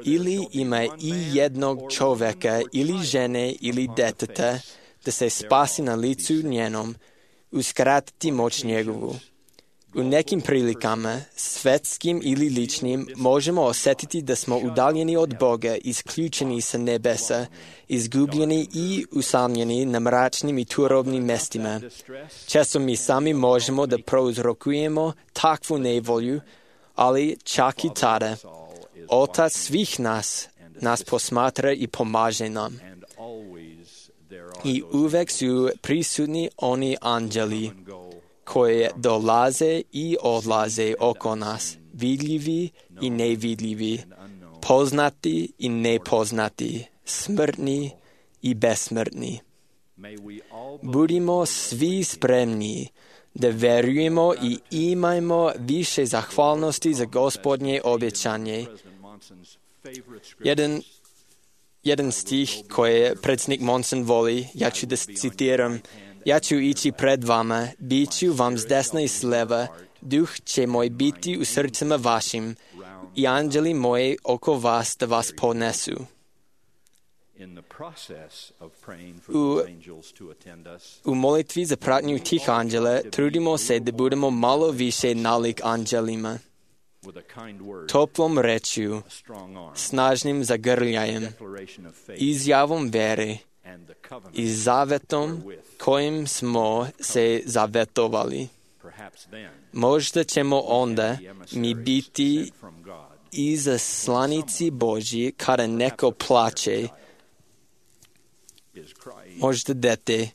ili ima i jednog čoveka, ili žene, ili deteta, da se spasi na licu njenom, uskratiti moć njegovu. U nekim prilikama, svetskim ili ličnim, možemo osjetiti da smo udaljeni od Boga, isključeni sa nebesa, izgubljeni i usamljeni na mračnim i turobnim mestima. Često mi sami možemo da prouzrokujemo takvu nevolju, ali čak i tada, Otac svih nas posmatra i pomaže nam. I uvek su prisutni oni anđeli koje dolaze i odlaze oko nas, vidljivi i nevidljivi, poznati i nepoznati, smrtni i besmrtni. Budimo svi spremni da verujemo i imajmo više zahvalnosti za Gospodnje obećanje. Jedan stih koji predsjednik Monson voli, ja ću da citiram: ja ću ići pred vama, bit ću vam s desna i s leva, duh će moj biti u srcima vašim i anđeli moji oko vas da vas ponesu. U molitvi za pratnju tih anđela trudimo se da budemo malo više nalik anđelima. toplom rečju, snažnim zagrljajem, izjavom vere i zavetom kojim smo se zavetovali. Možda ćemo onda mi biti izaslanici Božji kada neko plače, možda dete,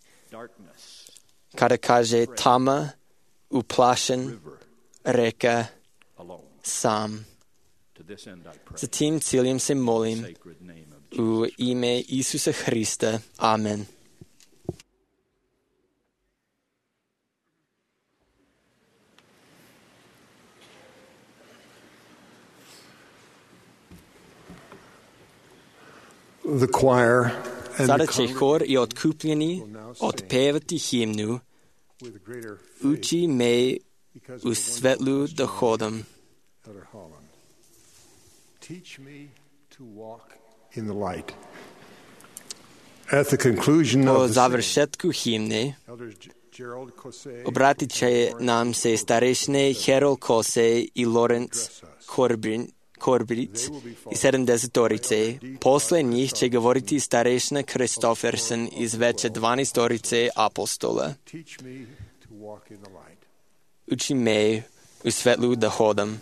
kada kaže tama, uplašen, reka, sam. Za tim ciljem se molim u ime Isusa Hrista. Amen. The choir and Sada the će hor i otkupljeni otpevati himnu Uči me u svetlu da hodam. Teach me to walk in the light. At the conclusion Po of the završetku himne Elders Gerald Kose obratit će nam se starešine Harold Kose i Lawrence Corbett i 70-orice. Posle njih će govoriti starešina Christofferson iz veće 12-orice apostola. teach me to walk in the light. Uči me u svetlu da hodam.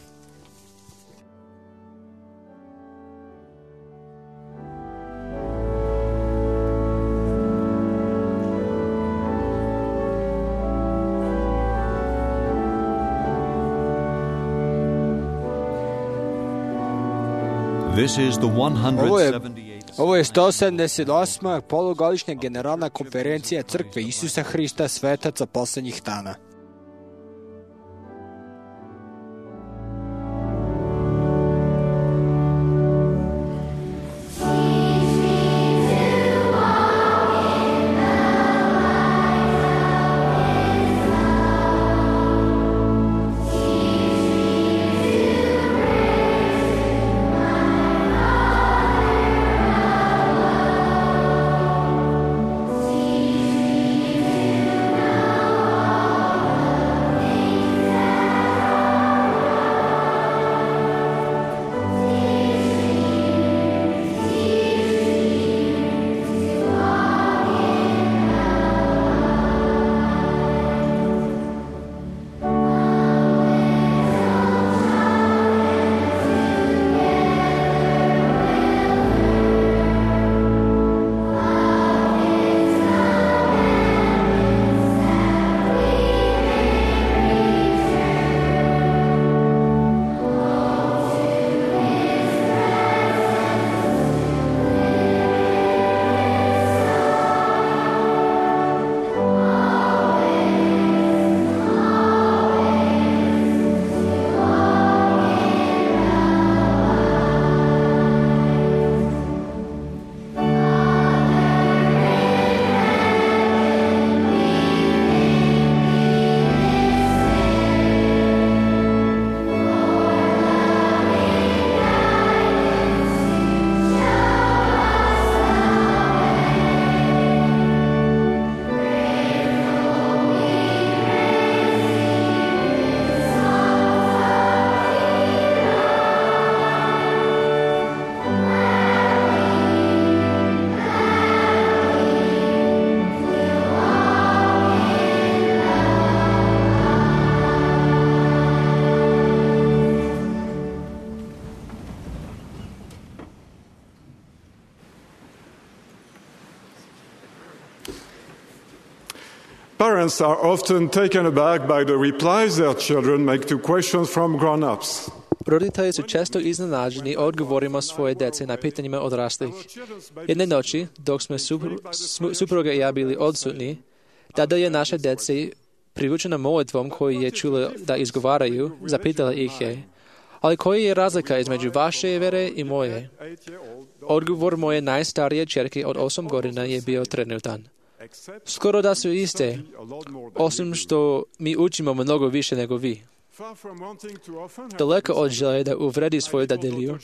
This is the 178th. Ovo je 178. polugodišnja generalna konferencija Crkve Isusa Hrista svetaca poslednjih dana. Parents are often taken aback by the replies their children make to questions from grown-ups. Roditelji su često iznenađeni odgovorima svoje dece na pitanjima odraslih. Jedne noći, dok smo supruga i ja bili odsutni, tada je naše dece privučena molitvom koju je čula da izgovaraju, zapitala ih je, ali koja je razlika između vaše vere i moje? Odgovor moje najstarije ćerke od 8 godina je bio trenutan. Skoro da su iste, osim što mi učimo mnogo više nego vi. Daleko od želje da uvredi svoju dadilju,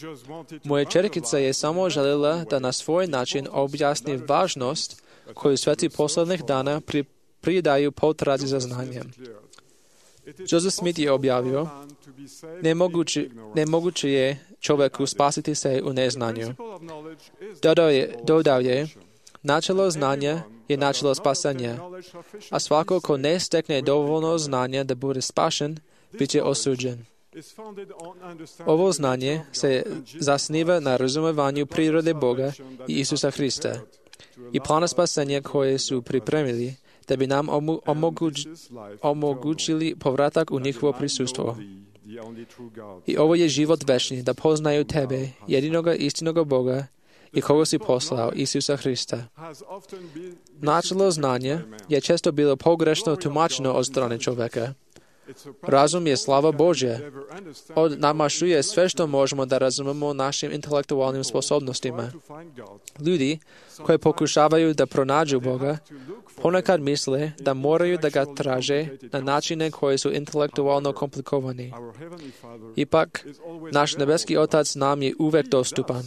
moja ćerkica je samo željela da na svoj način objasni važnost koju sveti poslednjih dana pridaju potrazi za znanjem. Joseph Smith je objavio, nemoguće je čovjeku spasiti se u neznanju. Dodao je, načelo znanja je načelo spasanja, a svako ko ne stekne dovoljno znanja da bude spašen, bit će osuđen. Ovo znanje se zasniva na razumevanju prirode Boga i Isusa Hrista i plana spasenja koje su pripremili da bi nam omogućili povratak u njihovo prisustvo. I ovo je život večni, da poznaju tebe, jedinoga istinoga Boga i koga si poslao, Isusa Hrista. Načelo znanja je često bilo pogrešno tumačeno od strane čovjeka. Razum je slava Božja. Namašuje sve što možemo da razumemo našim intelektualnim sposobnostima. Ljudi koji pokušavaju da pronađu Boga, ponekad misle da moraju da ga traže na načine koji su intelektualno komplikovani. Ipak, naš nebeski Otac nam je uvek dostupan.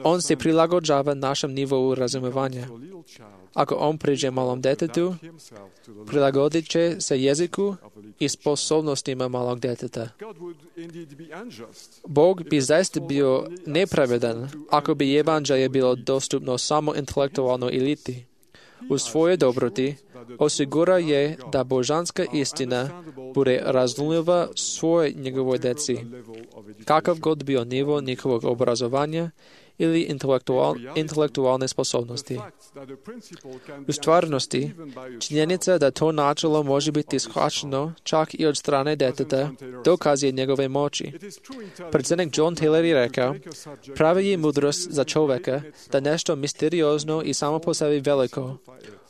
On se prilagođava našem nivou razumevanja. Ako on priđe malom detetu, prilagodit će se jeziku i sposobnostima malog deteta. Bog bi zaista bio nepravedan ako bi evanđelje bilo dostupno samo intelektualnoj eliti. U svojoj dobroti osigura je da božanska istina bude razumljiva svoj njegovoj deci, kakav god bio nivo njihovog obrazovanja ili intelektualne sposobnosti. U stvarnosti, činjenica da to načelo može biti shvaćeno čak i od strane deteta dokazuje njegove moći. Predsjednik John Taylor je rekao, pravi je mudrost za čovjeka da nešto misteriozno i samo po sebi veliko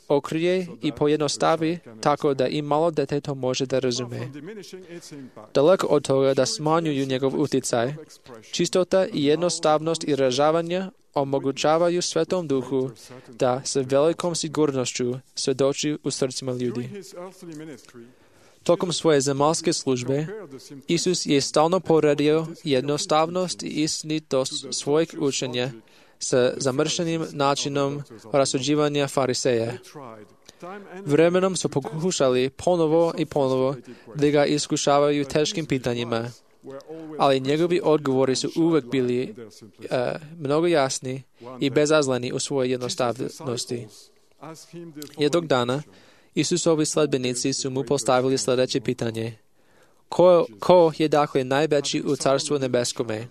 okrije i pojednostavi tako da i malo dete to može da razume. Daleko od toga da smanjuju njegov utjecaj, čistota i jednostavnost izražavanja omogućavaju Svetom Duhu da sa velikom sigurnošću svjedoči u srcima ljudi. Tokom svoje zemaljske službe, Isus je stalno poredio jednostavnost i istinitost svojeg učenja sa zamršenim načinom rasuđivanja fariseja. Vremenom su pokušali ponovo i ponovo da ga iskušavaju teškim pitanjima, ali njegovi odgovori su uvek bili mnogo jasni i bezazleni u svojoj jednostavnosti. Jednog dana, Isusovi sledbenici su mu postavili sljedeće pitanje. Ko je dakle najveći u Carstvu nebeskome?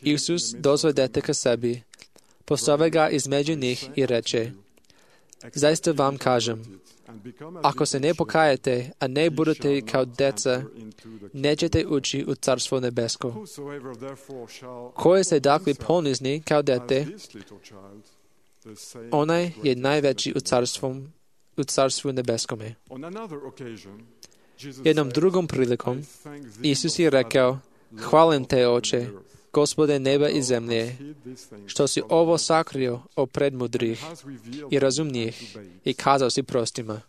Isus dozve dete ka sebi, postave ga između njih i reče, zaista vam kažem, ako se ne pokajete, a ne budete kao deca, nećete ući u Carstvo nebesko. Koje se dakle ponizni kao dete, onaj je najveći u Carstvu nebeskome. Jednom drugom prilikom, Isus je rekao, hvalim te, Oče, Gospode neba i zemlje, što si ovo sakrio pred mudrih i razumnijih i kazao si prostima.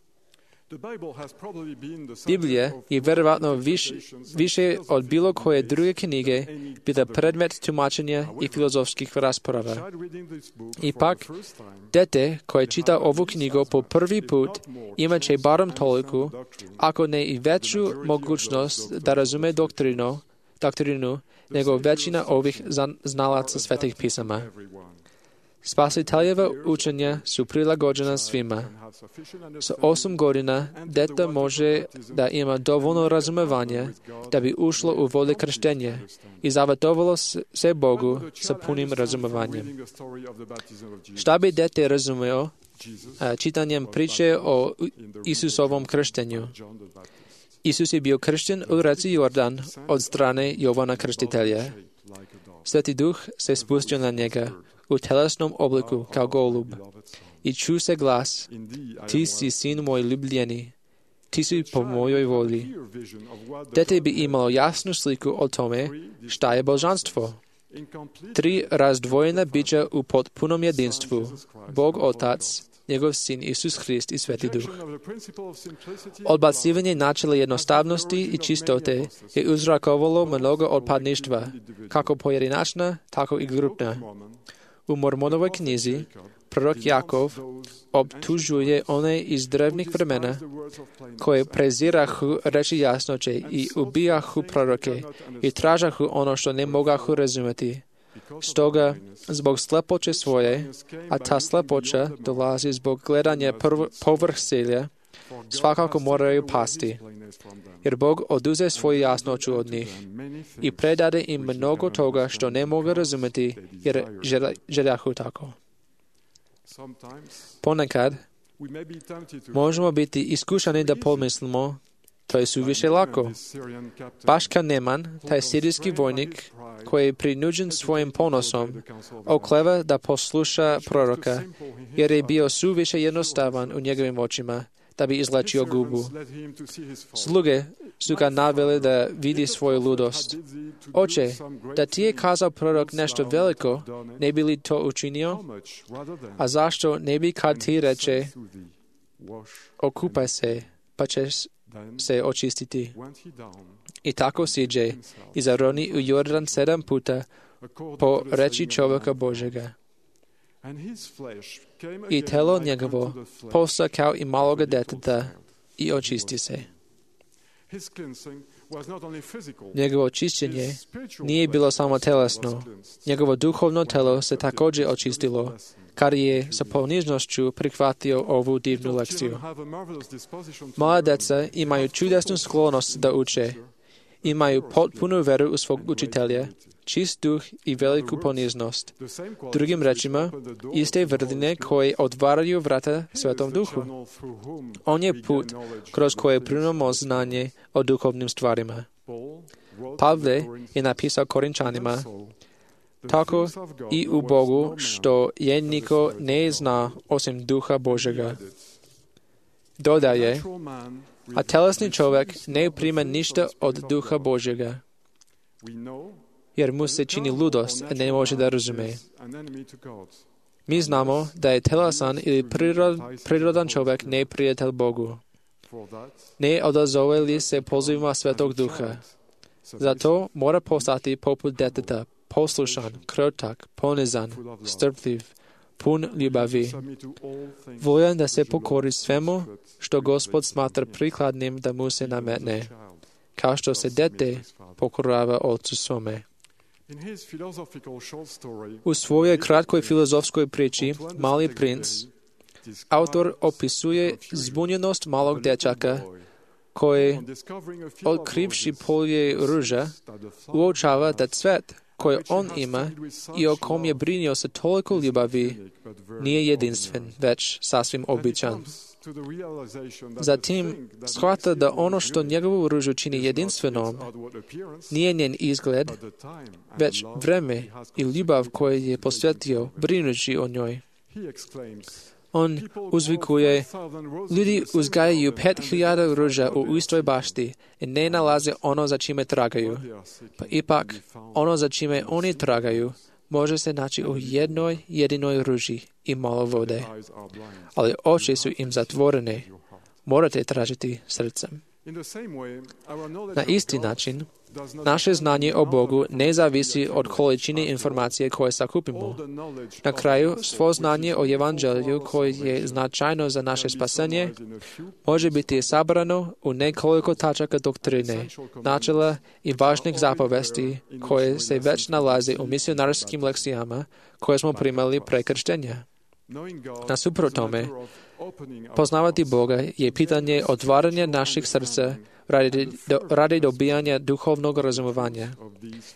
Biblija je vjerovatno više od bilo koje druge knjige bila predmet tumačenja i filozofskih rasprava. Ipak, dete koje čita ovu knjigu po prvi put imat će barem toliko, ako ne i veću mogućnost da razume doktrinu nego većina ovih znalaca svetih pisama. Spasiteljeva učenja su prilagođena svima. Sa 8 godina dete može da ima dovoljno razumevanja da bi ušlo u vode krštenja i zavetovalo se Bogu sa punim razumovanjem. Šta bi dete razumeo čitanjem priče o Isusovom krštenju? Isus je bio kršten u reci Jordan od strane Jovana Krstitelja. Sveti Duh se spustio na njega u telesnom obliku kao golub i ču se glas, ti si sin moj ljubljeni, ti si po mojoj volji. Dete bi imalo jasnu sliku o tome šta je božanstvo. 3 razdvojena bića u potpunom jedinstvu, Bog Otac, njegov Sin Isus Hrist i Sveti Duh. Odbacivanje načela jednostavnosti i čistote je uzrokovalo mnogo odpadništva, kako pojedinačna, tako i grupna. U Mormonovoj knjizi prorok Jakov obtužuje one iz drevnih vremena koje prezirahu reči jasnoće i ubijahu proroke i tražahu ono što ne mogahu razumjeti. Stoga, zbog slepoće svoje, a ta slepoća dolazi zbog gledanja povrh selja, svakako moraju pasti, jer Bog oduze svoju jasnoću od njih i predade im mnogo toga što ne mogu razumjeti, jer željahu tako. Ponekad možemo biti iskušani da pomislimo, to je suviše lako. Baš kao Neman, taj sirijski vojnik, koji je prinuđen svojim ponosom, okleva da posluša proroka, jer je bio suviše jednostavan u njegovim očima, da bi izlečio gubu. Sluge su ga navele da vidi svoju ludost. Oče, da ti je kazao prorok nešto veliko, ne bi li to učinio? A zašto ne bi kad ti reče, okupaj se, pa ćeš se očistiti? I tako siđe i zaroni u Jordan 7 puta po reči čovjeka Božega. I telo njegovo posta kao i maloga deteta i očisti se. Njegovo očišćenje nije bilo samo telesno. Njegovo duhovno telo se također očistilo, kad je sa ponižnošću prihvatio ovu divnu lekciju. Mala deca imaju čudesnu sklonost da uče. Imaju potpunu veru u svog učitelja, čist duh i veliku poniznost. Drugim rečima, iste vrline koje otvaraju vrata Svetom Duhu. On je put kroz koje primamo znanje o duhovnim stvarima. Pavle je napisao Korinčanima, tako i u Bogu, što je niko ne zna osim Duha Božega. Dodaje, a telesni čovjek ne prima ništa od Duha Božega, jer mu se čini ludost, a ne može da razume. Mi znamo da je telesan ili prirodan čovjek neprijatelj Bogu. Ne odazove li se pozivima Svetog Duha. Zato mora postati poput deteta, poslušan, krotak, ponizan, strpljiv, pun ljubavi, voljan da se pokori svemu što Gospod smatra prikladnim da mu se nametne, kao što se dete pokorava ocu svome. U svojoj kratkoj filozofskoj priči Mali princ, autor opisuje zbunjenost malog dječaka koji, otkrivši polje ruža, uočava da cvet koji on ima i o kom je brinio sa toliko ljubavi, nije jedinstven, već sasvim običan. Zatim shvata da ono što njegovu ružu čini jedinstvenom nije njen izgled, već vreme i ljubav koju je posvetio brinući o njoj. On uzvikuje, ljudi uzgajaju 5,000 ruža u istoj bašti i ne nalaze ono za čime tragaju. Pa ipak, ono za čime oni tragaju može se naći u jednoj jedinoj ruži i malo vode. Ali oči su im zatvorene. Morate tražiti srcem. Na isti način, naše znanje o Bogu ne zavisi od količine informacije koje sakupimo. Na kraju, svo znanje o Evanđelju koje je značajno za naše spasenje može biti sabrano u nekoliko tačaka doktrine, načela i važnih zapovesti koje se već nalaze u misionarskim lekcijama koje smo primali pre krštenja. Nasuprot tome, poznavati Boga je pitanje otvaranja naših srca radi dobijanja duhovnog razumovanja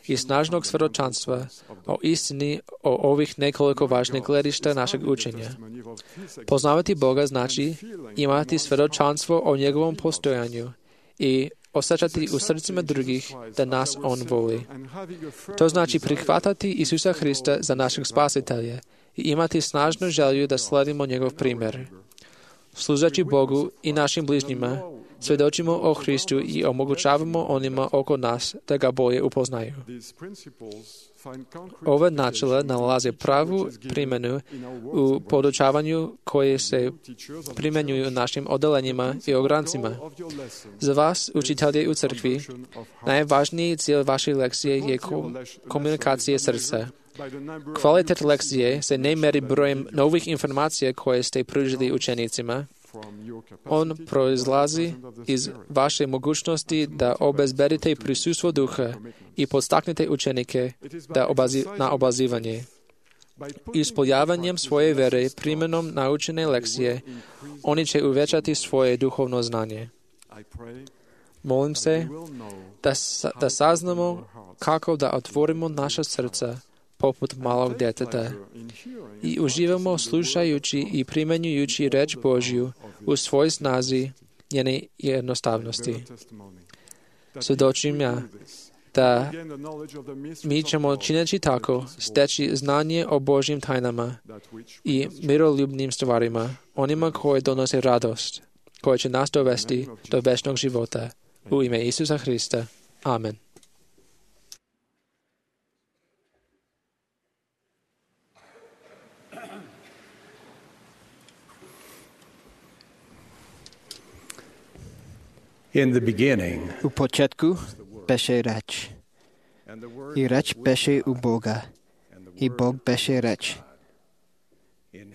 i snažnog svjedočanstva o istini o ovih nekoliko važnih gledišta našeg učenja. Poznavati Boga znači imati svjedočanstvo o njegovom postojanju i osjećati u srcima drugih da nas on voli. To znači prihvatati Isusa Hrista za našeg spasitelja i imati snažnu želju da sledimo njegov primjer. Služeći Bogu i našim bližnjima, svjedočimo o Hristu i omogućavamo onima oko nas da ga bolje upoznaju. Ova načela nalaze pravu primjenu u podučavanju koje se primjenjuju u našim odelenjima i ograncima. Za vas, učitelje u crkvi, najvažniji cilj vaše lekcije je komunikacija srca. Kvalitet lekcije se ne meri brojem novih informacija koje ste pružili učenicima. On proizlazi iz vaše mogućnosti da obezbedite prisustvo duha i podstaknete učenike na obazivanje. Ispoljavanjem svoje vere, primjenom naučene lekcije, oni će uvećati svoje duhovno znanje. Molim se da saznamo kako da otvorimo naša srca poput malog djeteta i uživamo slušajući i primjenjujući reč Božju u svoj snazi njene jednostavnosti. Svjedočim ja da mi ćemo čineći tako steći znanje o Božjim tajnama i miroljubnim stvarima, onima koje donose radost, koje će nas dovesti do večnog života. U ime Isusa Hrista. Amen. In the beginning, u početku beše reč, i reč beše u Boga, i Bog beše reč.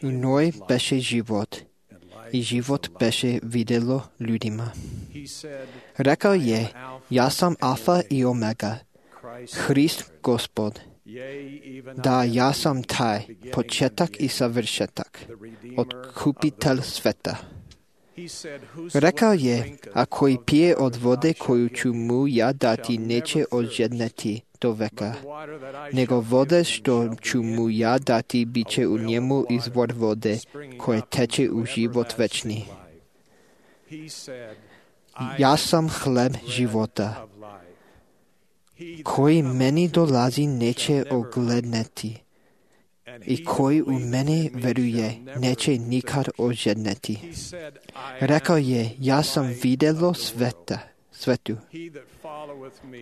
U njoj beše život, i život beše videlo ljudima. Rekao je, ja sam Alfa i Omega, Hrist Gospod. Da, ja sam taj, početak i savršetak, otkupitelj sveta. Rekao je, a koji pije od vode koju ću mu ja dati, neće ožedneti do veka, nego vode što ću mu ja dati, bit će u njemu izvor vode koje teče u život večni. Ja sam hleb života, koji meni dolazi neće ogledneti, i koji u mene veruje, neće nikad ožedneti. Rekao je, ja sam videlo svetu.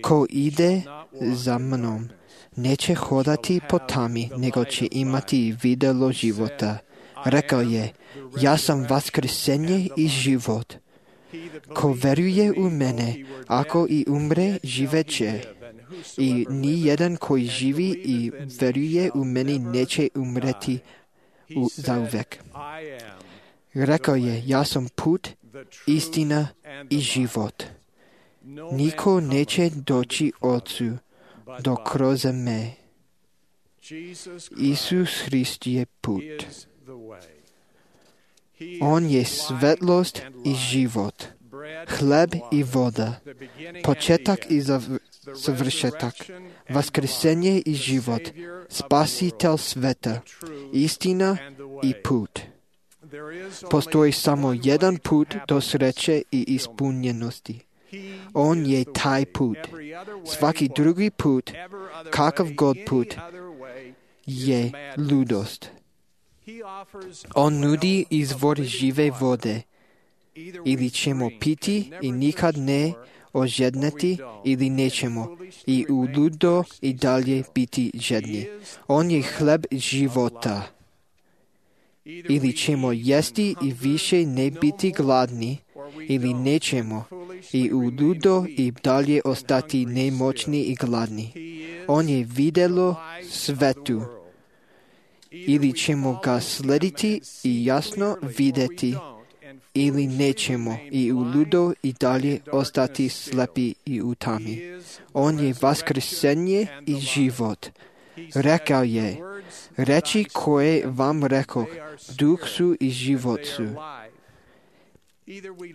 Ko ide za mnom, neće hodati po tami, nego će imati videlo života. Rekao je, ja sam vaskrsenje i život. Ko veruje u mene, ako i umre, živeće. I ni jedan koji živi i veruje u meni neće umreti zauvek. Rekao je, ja sam put, istina i život. Niko neće doći Otcu do kroz me. Isus Hrist je put. On je svetlost i život, hleb i voda, početak i završetak, vaskrsenje i život, spasitelj sveta, istina i put. Postoji samo jedan put do sreće i ispunjenosti. On je taj put. Svaki drugi put, kakav god put, je ludost. On nudi izvor žive vode. Ili ćemo piti i nikad ne ožedneti, ili nećemo i u ludo i dalje biti žedni. On je hleb života. Ili ćemo jesti i više ne biti gladni, ili nećemo i u ludo i dalje ostati nemoćni i gladni. On je videlo svetu. Ili ćemo ga slediti i jasno vidjeti, ili nećemo i u ludo i dalje ostati slepi i u tami. On je vaskrsenje i život. Rekao je, reči koje vam rekoh, duh su i život su.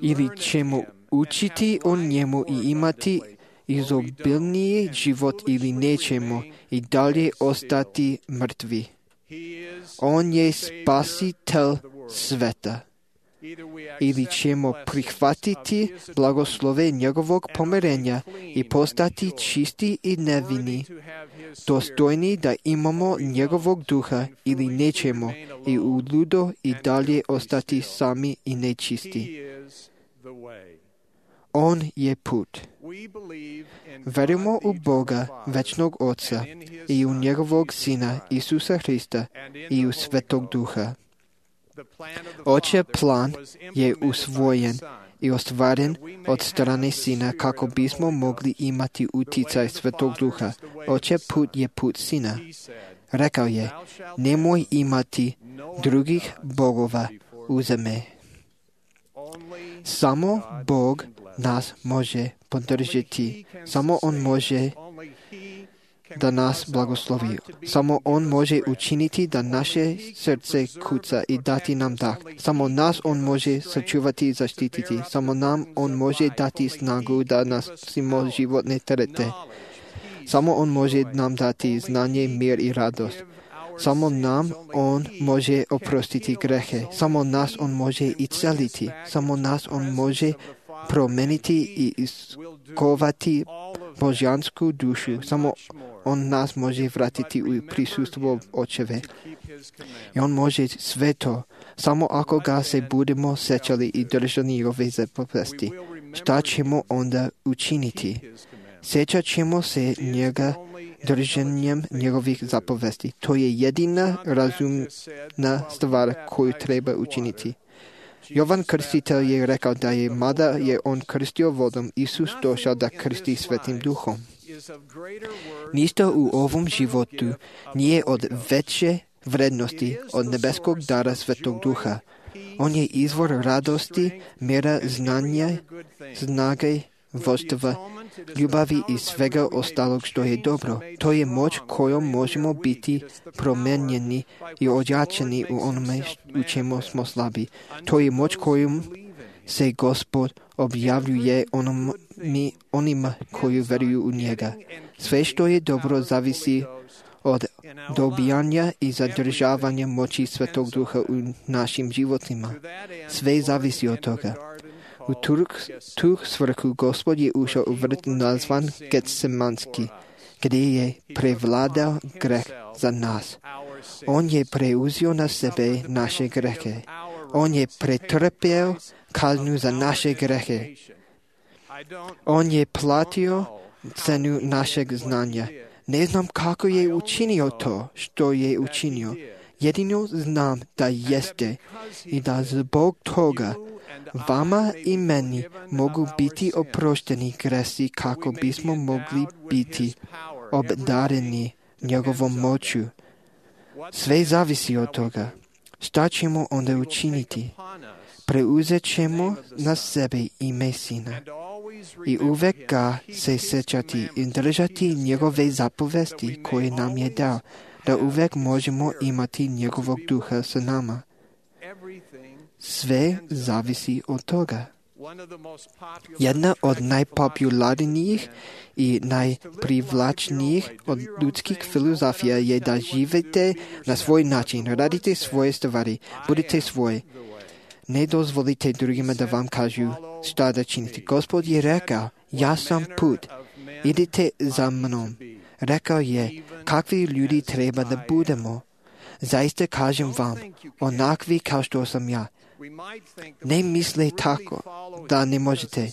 Ili ćemo učiti o njemu i imati izobilniji život, ili nećemo i dalje ostati mrtvi. On je spasitelj sveta. Ili ćemo prihvatiti blagoslove njegovog pomirenja i postati čisti i nevini, dostojni da imamo njegovog duha, ili nećemo i u ludo i dalje ostati sami i nečisti. On je put. Verujemo u Boga, večnog Oca, i u njegovog Sina, Isusa Hrista, i u Svetog Duha. Očev plan je usvojen i ostvaren od strane Sina kako bismo mogli imati uticaj Svetog Duha. Očev put je put Sina. Rekao je, nemoj imati drugih bogova u zemlji. Samo Bog nas može podržati. Samo On može da nas blagoslovi. Samo On može učiniti da naše srce kuca i dati nam dah. Samo nas On može sačuvati i zaštititi. Samo nam On može dati snagu da nosimo životne terete. Samo On može nam dati znanje, mir i radost. Samo nam On može oprostiti grehe. Samo nas On može isceliti. Samo nas On može promeniti i iskovati božansku dušu. Samo On nas može vratiti u prisustvo Očeve. I On može sve to, samo ako ga se budemo sećali i držali njegove zapovesti. Šta ćemo onda učiniti? Sećat ćemo se njega držanjem njegovih zapovesti. To je jedina razumna stvar koju treba učiniti. Jovan Krstitelj je rekao da je, mada je on krstio vodom, Isus došao da krsti Svetim Duhom. Ništa u ovom životu nije od veće vrednosti od nebeskog dara Svetog Duha. On je izvor radosti, mira, znanja, snage, voštva, ljubavi i svega ostalog što je dobro. To je moć kojom možemo biti promenjeni i ojačani u onome u čemu smo slabi. To je moć kojom se Gospod objavljuje onima koji veruju u njega. Sve što je dobro zavisi od dobijanja i zadržavanja moći Svetog Duha u našim životima. Sve zavisi od toga. U tu svrhu Gospod je ušao u vrt nazvan Getsemanski, gdje je prevladao greh za nas. On je preuzeo na sebe naše grehe. On je pretrpio kaznu za naše grehe. On je platio cenu našeg znanja. Ne znam kako je učinio to što je učinio. Jedino znam da jeste i da zbog toga vama i meni mogu biti oprošteni gresi kako bismo mogli biti obdareni njegovom moću. Sve zavisi od toga. Šta ćemo onda učiniti? Preuzet ćemo na sebe ime Sina i uvek ga se sećati i držati njegove zapovesti koje nam je dao, da uvek možemo imati njegovog duha sa nama. Sve zavisi od toga. Jedna od najpopularnijih i najprivlačnijih od ljudskih filozofija je da živite na svoj način, radite svoje stvari, budite svoje. Ne dozvolite drugima da vam kažu šta da činite. Gospod je rekao, ja sam put, idite za mnom. Rekao je, kakvi ljudi treba da budemo. Zaista kažem vam, onakvi kao što sam ja. Ne misle tako da ne možete.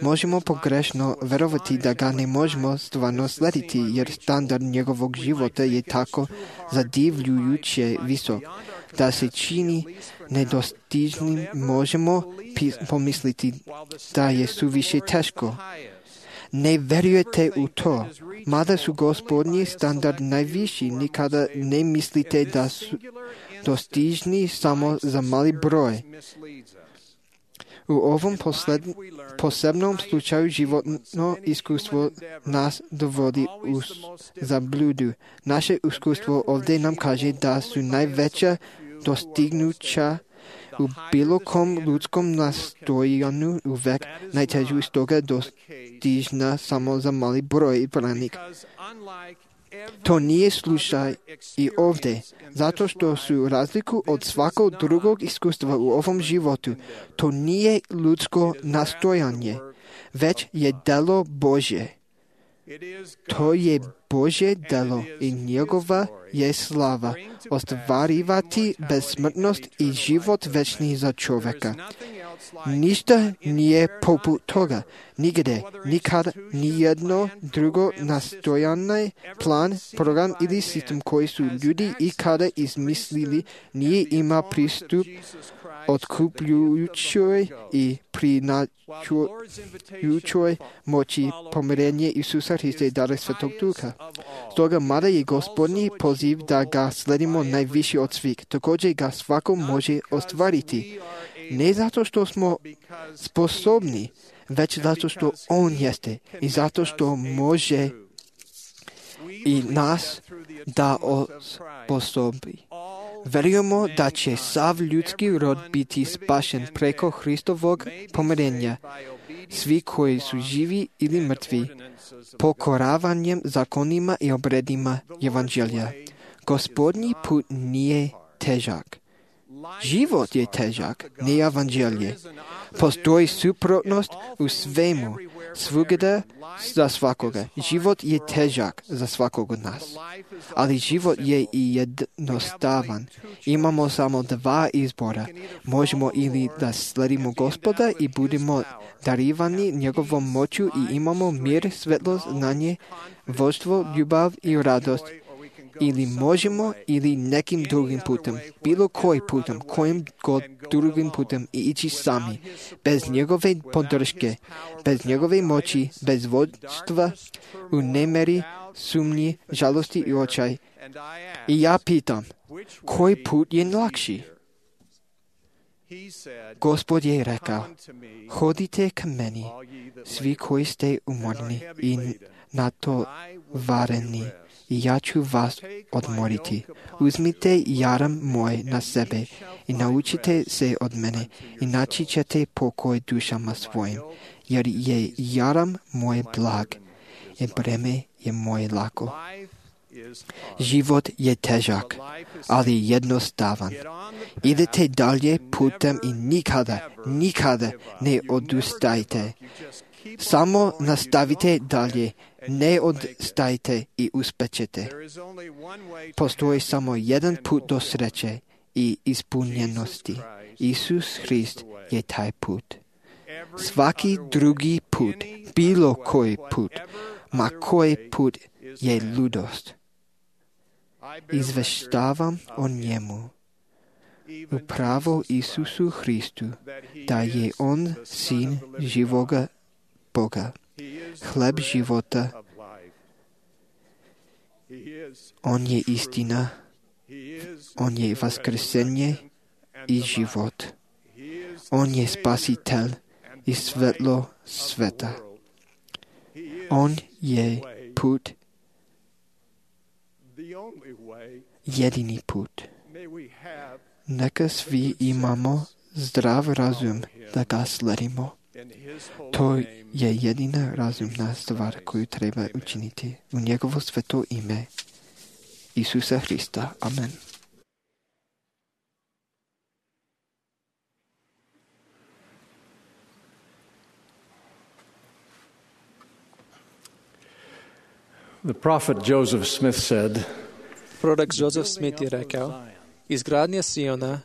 Možemo pogrešno verovati da ga ne možemo stvarno slediti, jer standard njegovog života je tako zadivljujuće visok, da se čini nedostižnim. Možemo pomisliti da je suviše teško. Ne verujete u to. Mada su Gospodnji standard najviši, nikada ne mislite da su dostižni samo za mali broj. U ovom posebnom slučaju životno iskustvo nas dovodi u zabludu. Naše iskustvo ovdje nam kaže da su najveća dostignuća u bilo kom ljudskom nastojanju uvek najtežu, stoga dostižna samo za mali broj branika. To nije slučaj i ovdje, zato što su razliku od svakog drugog iskustva u ovom životu. To nije ljudsko nastojanje, već je delo Božje. To je Božje delo i njegova je slava ostvarivati bezsmrtnost i život večni za čovjeka. Ništa nije poput toga. Nigde, nikad, nijedno drugo nastojanje, plan, program ili sistem koji su ljudi ikada izmislili nije ima pristup otkupljujućoj i prinačujućoj moći pomirenje Isusa Hrista i dara Svetog Duha. Stoga mada je Gospodnji poziv da ga sledimo najviši od svih, također ga svako može ostvariti. Ne zato što smo sposobni, već zato što On jeste i zato što može i nas da osposobi. Verujemo da će sav ljudski rod biti spašen preko Hristovog pomirenja. Svi koji su živi ili mrtvi, pokoravanjem zakonima i obredima Evanđelja. Gospodnji put nije težak. Život je težak, ne Evanđelje. Postoji suprotnost u svemu, svugdje za svakoga. Život je težak za svakog od nas. Ali život je i jednostavan. Imamo samo dva izbora. Možemo ili da sledimo Gospoda i budemo darivani njegovom moću i imamo mir, svetlost, znanje, vodstvo, ljubav i radost. Ili možemo ili nekim drugim putem, bilo koji putem, kojim god drugim putem i ići sami, bez njegove podrške, bez njegove moći, bez vodstva, u nemeri, sumnji, žalosti i očaj. I ja pitam, koji put je lakši? Gospod je rekao, hodite k meni, svi koji ste umorni i natovareni, i ja ću vas odmoriti. Uzmite jaram moj na sebe i naučite se od mene i naći ćete pokoj dušama svojim, jer je jaram moj blag i breme je moje lako. Život je težak, ali jednostavan. Idete dalje putem i nikada ne odustajte. Samo nastavite dalje, ne odstajte i uspećete. Postoji samo jedan put do sreće i ispunjenosti. Isus Hrist je taj put. Svaki drugi put, bilo koji put, ma koji put je ludost. Izveštavam o njemu, upravo Isusu Hristu, da je On sin živoga Boga, hleb života. On je istina, On je vaskrsenje i život. On je spasitelj i svetlo sveta. On je put, jedini put. Neka svi imamo zdrav razum da ga sledimo. To je jedina razumna stvar koju treba učiniti u njegovo sveto ime Isusa Hrista. Amen. The prophet Joseph Smith said, Prorok Joseph Smith je rekao, izgradnja Siona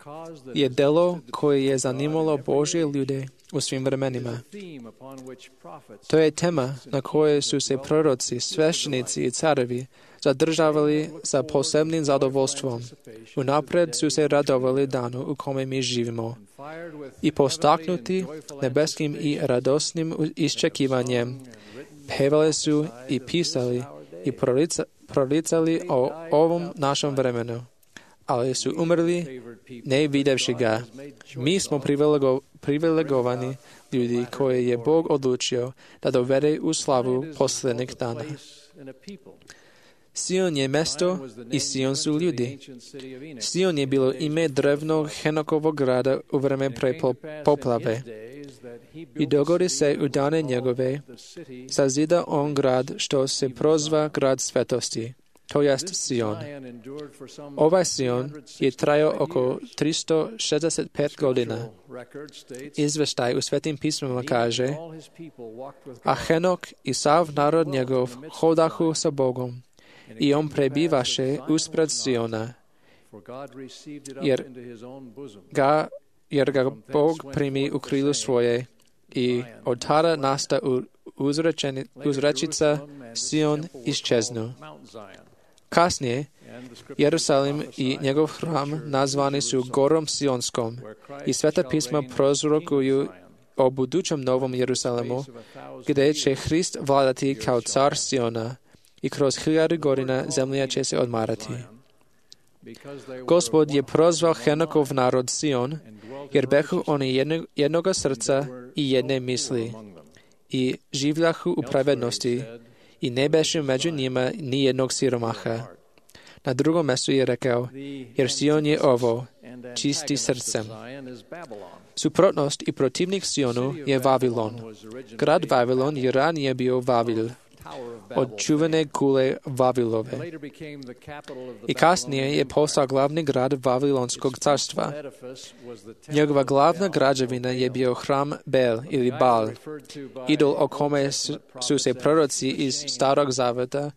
je delo koje je zanimalo Božje ljude u svim vremenima. To je tema na kojoj su se proroci, sveštenici i carevi zadržavali sa posebnim zadovoljstvom. Unapred su se radovali danu u kome mi živimo i postaknuti nebeskim i radosnim iščekivanjem pevali su i pisali i proricali o ovom našem vremenu, ali su umrli ne videvši ga. Mi smo privilegovani ljudi koje je Bog odlučio da dovede u slavu posljednjih dana. Sion je mesto i Sion su ljudi. Sion je bilo ime drevnog Henokovog grada u vreme pre poplave. I dogodi se u dane njegove, sazida on grad što se prozva grad svetosti, to jest Sion. Ovaj Sion je trajao oko 365 godina. Izveštaj u Svetim pismima kaže, a Henok i sav narod njegov hodahu sa Bogom, i on prebivaše uspred Siona, jer ga Bog primi u krilu svoje i od tada nasta uzrečica Sion iščeznu. Kasnije, Jerusalim i njegov hram nazvani su Gorom Sionskom i Sveta pisma prorokuju o budućem novom Jerusalimu, gdje će Hrist vladati kao car Siona i kroz 1000 godina zemlja će se odmarati. Gospod je prozvao Henokov narod Sion, jer behu oni jednoga srca i jedne misli i življahu u pravednosti i ne beše među njima ni jednog siromaha. Na drugom mjestu je rekao, jer Sion je ovo, čisti srcem. Suprotnost i protivnik Sionu je Vavilon. Grad Vavilon je ranije bio Vavil, od čuvene kule Vavilove. I kasnije je postao glavni grad Vavilonskog carstva. Njegova glavna građevina je bio hram Bel ili Bal, idol o kome su se proroci iz Starog Zaveta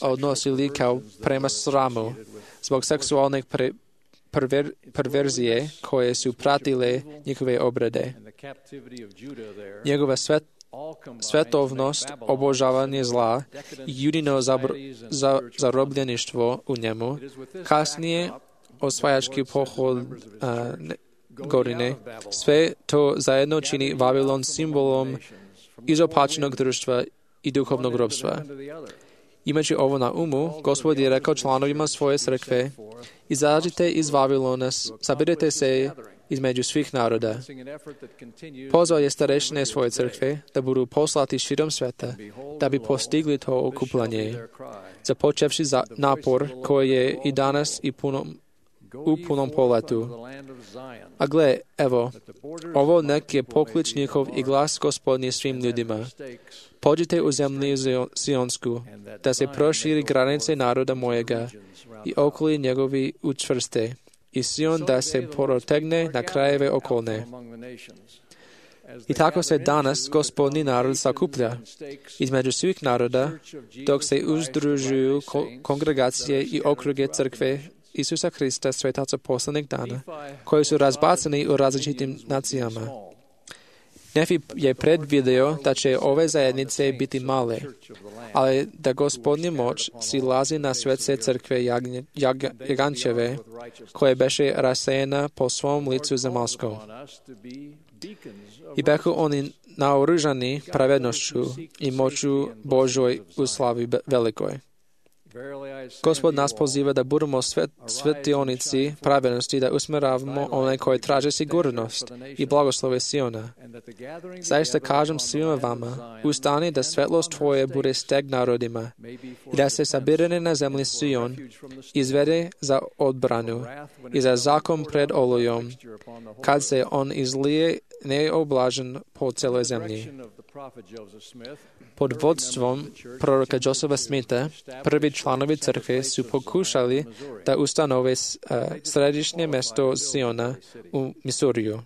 odnosili kao prema sramu zbog seksualne perverzije koje su pratile njihove obrede. Njegova svetovnost, obožavanje zla i judino zarobljeništvo u njemu, kasnije osvajački pohod godine, sve to zajedno čini Vavilon simbolom izopačenog društva i duhovnog robstva. Imajući ovo na umu, Gospod je rekao članovima svoje crkve, izađite iz Vavilona, sabirite se između svih naroda. Pozvao je starešine svoje crkve da budu poslati širom sveta, da bi postigli to okupljanje, započevši napor koji je i danas u punom poletu. A gle, evo, ovo nek je poklič njihov i glas Gospodnji svim ljudima. Pođite u zemlju Sionsku, da se proširi granice naroda mojega i okoli njegovi učvrste, i Sion da se protegne na krajeve okolne. I tako se danas Gospodnji narod sakuplja između svih naroda, dok se uzdružuju kongregacije i okruge crkve Isusa Hrista, svetaca poslednjeg dana, koji su razbacani u različitim nacijama. Nefi je predvideo da će ove zajednice biti male, ali da Gospodnja moć silazi na svete crkve Jagančeve, koje beše rasejena po svom licu zemaljskom. I behu oni naoružani pravednošću i moću Božoj u slavi velikoj. Gospod nas poziva da budemo svetionici pravednosti, da usmeravamo one koje traže sigurnost i blagoslove Siona. Zaista kažem svima vama, ustani da svetlost tvoje bude steg narodima i da se sabirane na zemlji Sion izvede za odbranu i za zakon pred olujom, kad se on izlije neoblažen po celoj zemlji. Pod vodstvom proroka Josepha Smitha prvi članovi crkve su pokušali da ustanove središnje mesto Siona u Misuriju,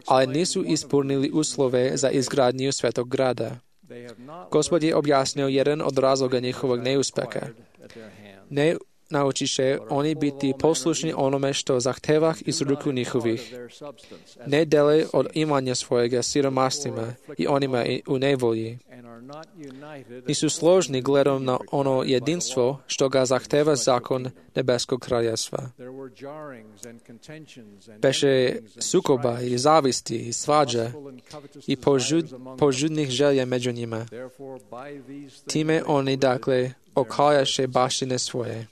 ali nisu ispunili uslove za izgradnju svetog grada. Gospod je objasnio jedan od razloga njihovog neuspeha. Ne naučiše oni biti poslušni onome što zahteva iz ruku njihovih. Ne dele od imanja svojega siromastima i onima u nevolji. Nisu složni gledom na ono jedinstvo što ga zahteva zakon nebeskog kraljevstva. Beše sukoba i zavisti i svađa i požudnih želja među njima. Time oni, dakle, okajaše baštine svoje.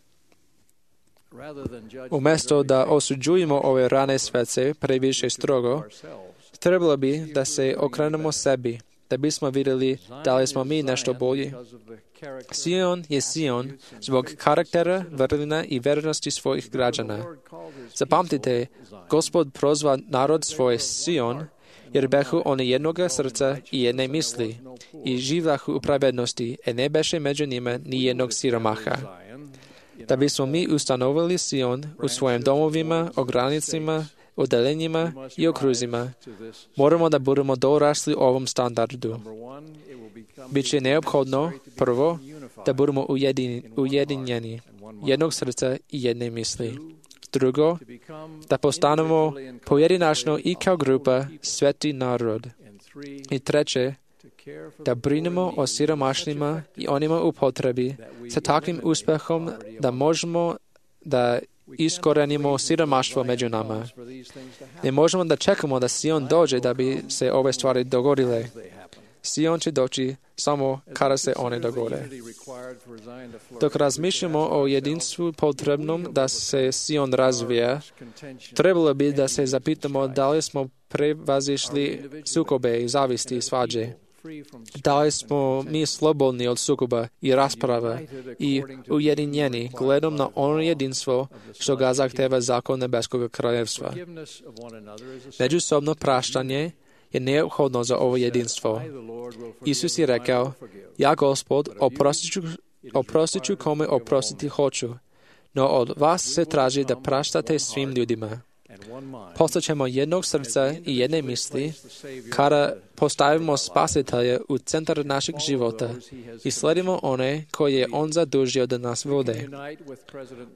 Umjesto da osuđujemo ove rane svece previše strogo, trebalo bi da se okrenemo sebi, da bismo vidjeli da li smo mi nešto bolji. Sion je Sion zbog karaktera, vrlina i vernosti svojih građana. Zapamtite, Gospod prozva narod svoj Sion, jer behu oni jednoga srca i jedne misli, i življahu u pravednosti, i ne beše među njima ni jednog siromaha. Da bismo mi ustanovili Sion u svojim domovima, ogranicima, odelenjima i okruzima, moramo da budemo dorasli ovom standardu. Biće neophodno, prvo, da budemo ujedinjeni, jednog srca i jedne misli. Drugo, da postanemo pojedinačno i kao grupa sveti narod. I treće, da brinemo o siromašnima i onima u potrebi sa takvim uspehom da možemo da iskorenimo siromaštvo među nama. Ne možemo da čekamo da Sion dođe da bi se ove stvari dogodile. Sion će doći samo kada se one dogode. Dok razmišljamo o jedinstvu potrebnom da se Sion razvija, trebalo bi da se zapitamo da li smo prevazišli sukobe i zavisti i svađe. Da li smo mi slobodni od sukoba i rasprava i ujedinjeni gledom na ono jedinstvo što ga zahteva zakon nebeskog kraljevstva. Međusobno praštanje je neophodno za ovo jedinstvo. Isus je rekao, ja Gospod oprostit ću kome oprostiti hoću, no od vas se traži da praštate svim ljudima. Postaćemo jednog srca i jedne misli kada postavimo Spasitelja u centar našeg života i sledimo one koje je On zadužio da nas vode.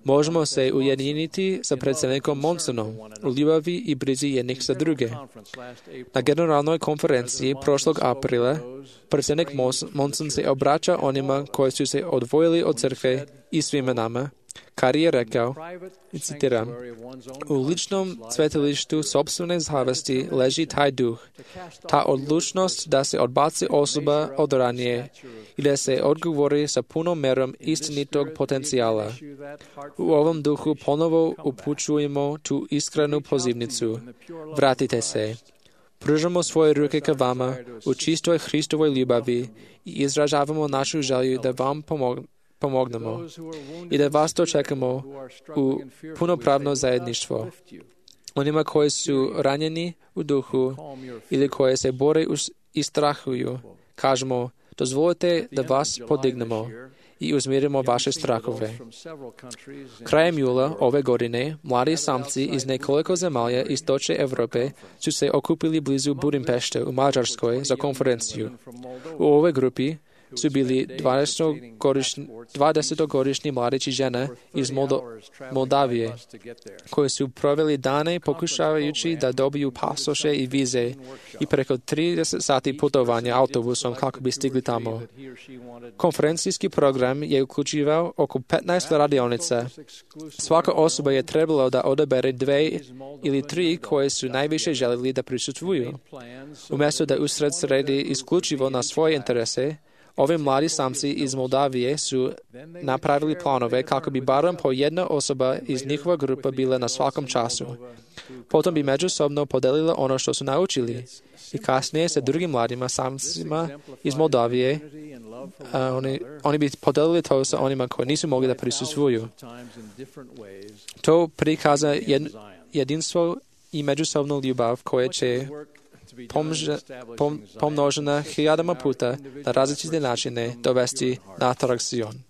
Možemo se ujediniti sa predsjednikom Monsonom u ljubavi i brizi jednih za druge. Na generalnoj konferenciji prošlog aprila predsjednik Monson se obraća onima koji su se odvojili od crkve i svima nama, kad je rekao, i citiram, u ličnom svetilištu sopstvene zavesti leži taj duh, ta odlučnost da se odbaci osoba od ranije i da se odgovori sa punom merom istinitog potencijala. U ovom duhu ponovo upućujemo tu iskrenu pozivnicu. Vratite se. Pružamo svoje ruke ka vama u čistoj Hristovoj ljubavi i izražavamo našu želju da vam pomognemo i da vas dočekamo u punopravno zajedništvo. Onima koji su ranjeni u duhu ili koji se bore i strahuju, kažemo, dozvolite da vas podignemo i uzmirimo vaše strahove. Krajem jula ove godine, mladi samci iz nekoliko zemalja istočne Evrope su se okupili blizu Budimpešte u Mađarskoj za konferenciju. U ovoj grupi su bili 20-godišnji mladići žene iz Moldavije, koji su proveli dane pokušavajući da dobiju pasoše i vize i preko 30 sati putovanja autobusom kako bi stigli tamo. Konferencijski program je uključivao oko 15 radionica. Svaka osoba je trebala da odabere 2 ili 3 koje su najviše željeli da prisustvuju. Umjesto da usred sredi isključivo na svoje interese, ovi mladi samci iz Moldavije su napravili planove kako bi barem po jedna osoba iz njihova grupa bila na svakom času. Potom bi međusobno podelila ono što su naučili i kasnije sa drugim mladima samcima iz Moldavije oni bi podelili to sa onima koji nisu mogli da prisustvuju. To prikaza jedinstvo i međusobnu ljubav koja će pomnožena hiljadama puta na različite načine dovesti natrag Sion.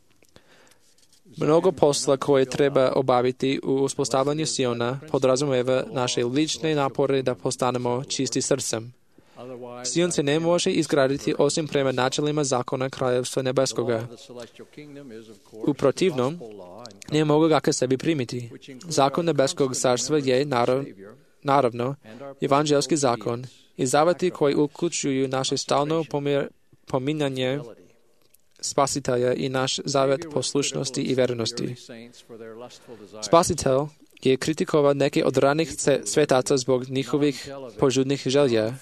Mnogo posla koje treba obaviti u uspostavljanju Siona podrazumeva naše lične napore da postanemo čisti srcem. Sion se ne može izgraditi osim prema načelima zakona Kraljevstva Nebeskoga. U protivnom, ne mogu ga ka sebi primiti. Zakon Nebeskog carstva je, naravno, evanđelski zakon i zaveti koji uključuju naše stalno pominjanje Spasitelja i naš zavet poslušnosti i vernosti. Spasitelj je kritikovao neke od ranih svetaca zbog njihovih požudnih želja.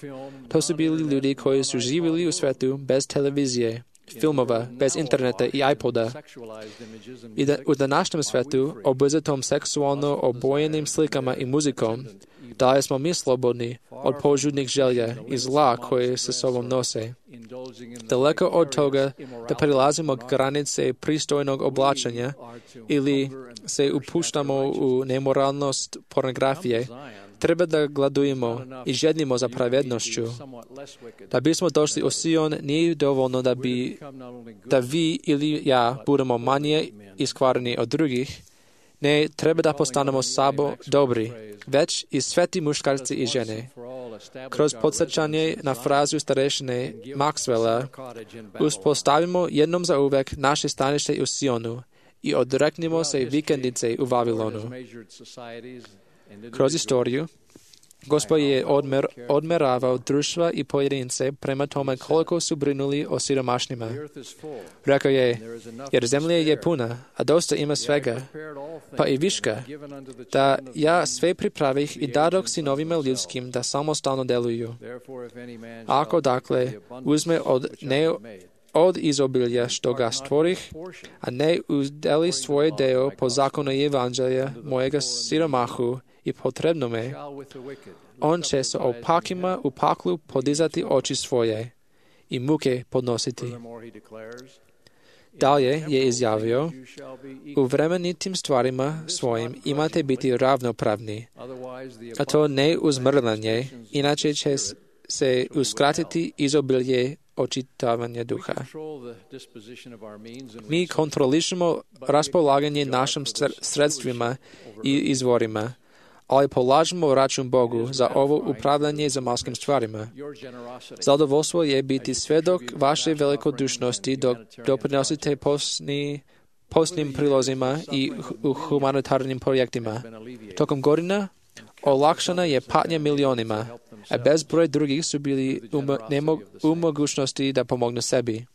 To su bili ljudi koji su živjeli u svetu bez televizije, filmova, bez interneta i iPoda. I u današnjem svetu, obuzetom seksualno obojenim slikama i muzikom, da li smo mi slobodni od požudnih želja i zla koje sa sobom nose. Daleko od toga da prilazimo granice pristojnog oblačenja ili se upuštamo u nemoralnost pornografije, treba da gladujemo i žednimo za pravednošću. Da bismo došli u Sion, nije dovoljno da vi ili ja budemo manje iskvareni od drugih. Ne treba da postanemo sabo dobri, već i sveti muškarci i žene. Kroz podsjećanje na frazu starešine Maxwella uspostavimo jednom za uvek naše stanište u Sionu i odreknimo se vikendice u Vavilonu. Kroz istoriju, Gospod je odmeravao društva i pojedince prema tome koliko su brinuli o siromašnima. Rekao je, jer zemlja je puna, a dosta ima svega. pa i viška, da ja sve pripravih i dadok sinovima ljudskim da samostalno deluju. Ako dakle uzme od izobilja što ga stvorih, a ne udeli svoje deo po zakonu evanđelja mojega siromahu i potrebnome, on će sa opakima u paklu podizati oči svoje i muke podnositi. Dalje je izjavio, u vremenitim stvarima svojim imate biti ravnopravni, a to ne uzmrlanje, inače će se uskratiti izobilje očitavanja duha. Mi kontrolišemo raspolaganje našim sredstvima i izvorima, ali polažemo račun Bogu za ovo upravljanje zemaljskim stvarima. Zadovoljstvo je biti svedok vaše velikodušnosti dok doprinosite posnim prilozima i u humanitarnim projektima. Tokom godina olakšana je patnja milionima, a bezbroj drugih su bili u mogućnosti da pomognu sebi.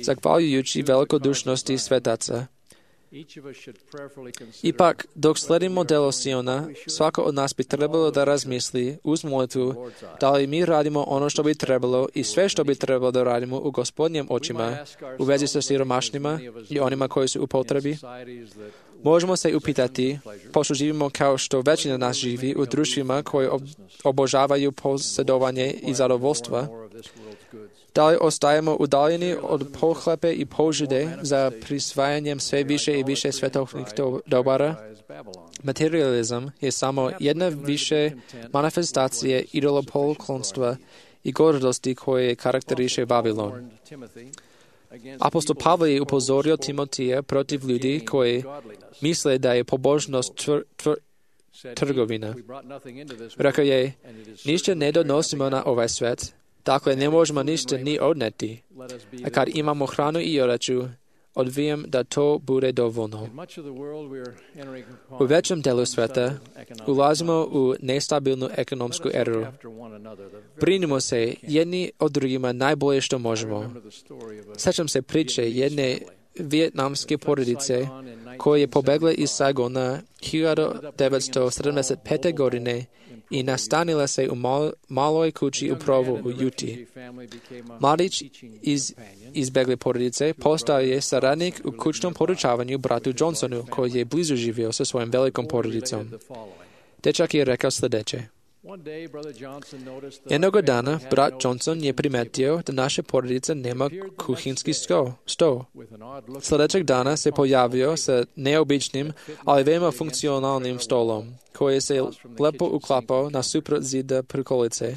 Zahvaljujući velikodušnosti svetaca. Ipak, dok sledimo delo Siona, svako od nas bi trebalo da razmisli uz molitvu da li mi radimo ono što bi trebalo i sve što bi trebalo da radimo u Gospodnjem očima u vezi sa siromašnima i onima koji su u potrebi. Možemo se upitati, pošto živimo kao što većina nas živi u društvima koji obožavaju posjedovanje i zadovoljstva, da li ostajemo udaljeni od pohlepe i požude za prisvajanjem sve više i više svetovnih dobara? Materializam je samo jedna više manifestacije idolopoklonstva i gordosti koje karakteriše Vavilon. Apostol Pavle je upozorio Timotija protiv ljudi koji misle da je pobožnost trgovina. Rekao je, ništa ne donosimo na ovaj svet, dakle ne možemo ništa ni odneti. A kad imamo hranu i odeću, odvijem da to bude dovoljno. U većem delu sveta ulazimo u nestabilnu ekonomsku eru. Brinimo se jedni od drugima najbolje što možemo. Sjećam se priče jedne vijetnamske porodice koja je pobegla iz Saigona 1975. godine i nastanila se u maloj kući u Provu u Juti. Mladić iz izbegle porodice postao je saradnik u kućnom podučavanju bratu Johnsonu, koji je blizu živio sa svojom velikom porodicom. Dečak je rekao sljedeće. Jednog dana brat Johnson je primetio da naša porodica nema kuhinski sto. Sljedećeg dana se pojavio sa neobičnim, ali veoma funkcionalnim stolom, koji se lepo uklapao na suprot zida prikolice,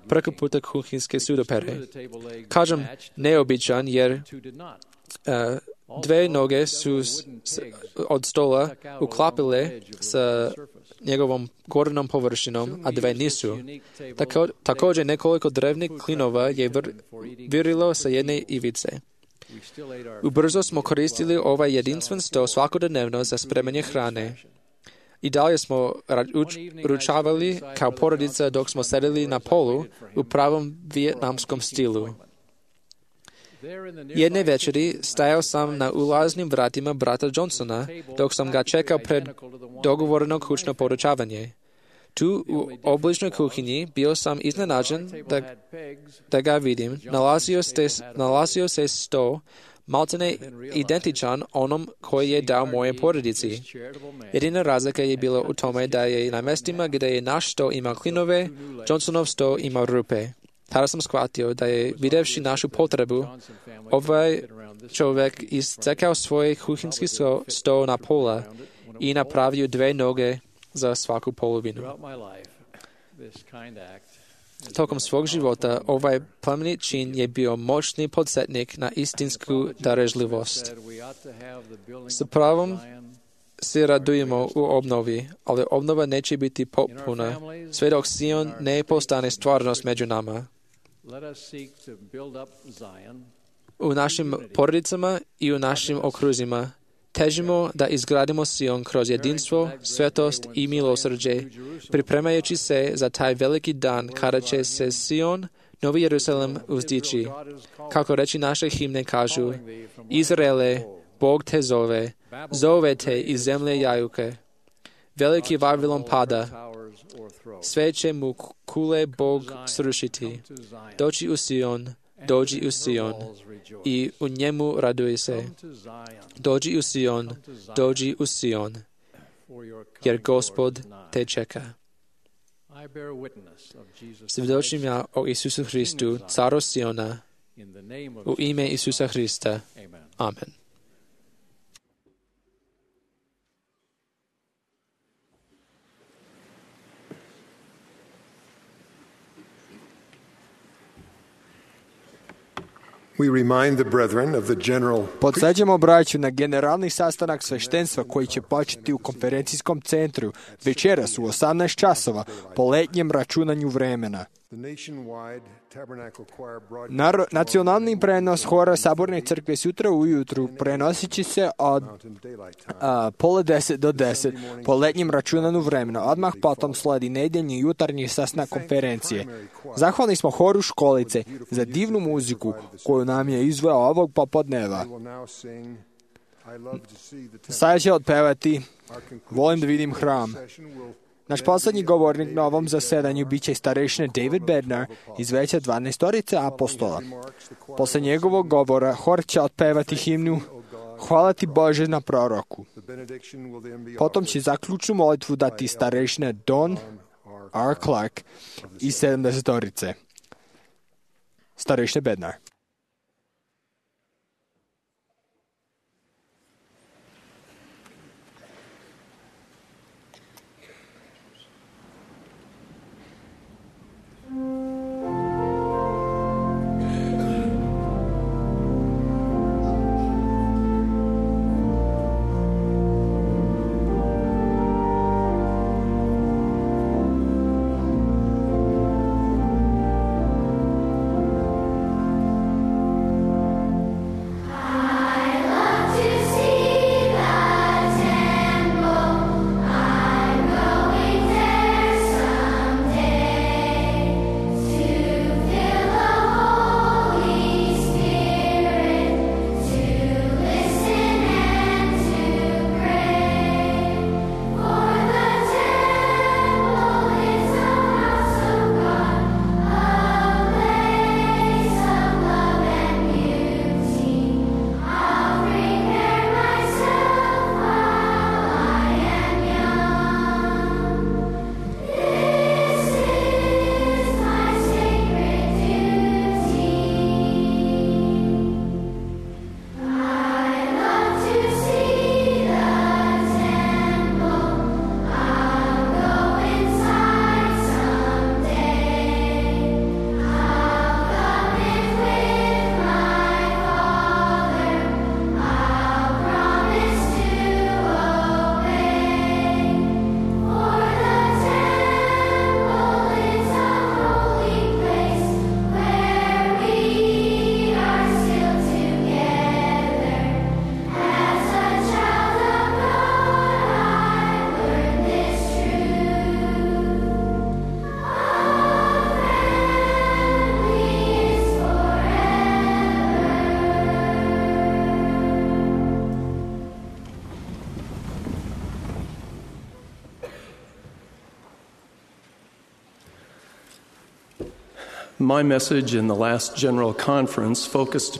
preko puta kuhinske sudopere. Kažem neobičan jer dve noge su od stola uklapile sa njegovom gornjom površinom, a dve nisu. Također nekoliko drevnih klinova je virilo sa jedne ivice. Ubrzo smo koristili ovaj jedinstven sto svakodnevno za spremanje hrane. I dalje smo ručavali kao porodica dok smo sedeli na polu u pravom vijetnamskom stilu. Jedne večeri stajao sam na ulaznim vratima brata Johnsona dok sam ga čekao pred dogovoreno kućno podučavanje. Tu u obližnoj kuhinji bio sam iznenađen da ga vidim. Nalazio se sto maltene identičan onom koji je dao moje porodici. Jedina razlika je bila u tome da je na mjestima gdje je naš sto imao klinove, Johnsonov sto imao rupe. Tada sam shvatio da je, videvši našu potrebu, ovaj čovjek iscekao svoj kuhinski sto na pola i napravio dve noge za svaku polovinu. Tokom svog života ovaj plemenit čin je bio moćni podsjetnik na istinsku darežljivost. S pravom se radujemo u obnovi, ali obnova neće biti potpuna sve dok Sion ne postane stvarnost među nama. U našim porodicama i u našim okruzima težimo da izgradimo Sion kroz jedinstvo, svetost i milosrđe, pripremajući se za taj veliki dan kada će se Sion, Novi Jerusalem, uzdići. Kako reči naše himne kažu, Izraele, Bog te zove, zove te iz zemlje jajuke. Veliki Vavilon pada, sve će mu kule Bog srušiti. Dođi u Sion, dođi u Sion, i u njemu raduj se. Dođi u Sion, dođi u Sion, jer Gospod te čeka. Svjedočim ja o Isusu Hristu, caru Siona, u ime Isusa Hrista. Amen. Podsjećamo braću na generalni sastanak sveštenstva koji će početi u konferencijskom centru večeras u 18 časova po letnjem računanju vremena. Nacionalni prenos hora Saborne crkve sutra ujutru prenosit će se od 9:30 do 10 po letnjem računanju vremena. Odmah potom sledi nedeljni jutarnji sastanak konferencije. Zahvalni smo horu Školice za divnu muziku koju nam je izveo ovog popodneva. Sada će otpevati Volim da vidim hram. Naš poslednji govornik na ovom zasedanju bit će starešina David Bednar iz veća 12 apostola. Posle njegovog govora hor će otpevati himnu Hvala ti Bože na proroku. Potom će zaključnu molitvu dati starešina Don R. Clark iz 70. Starešina Bednar.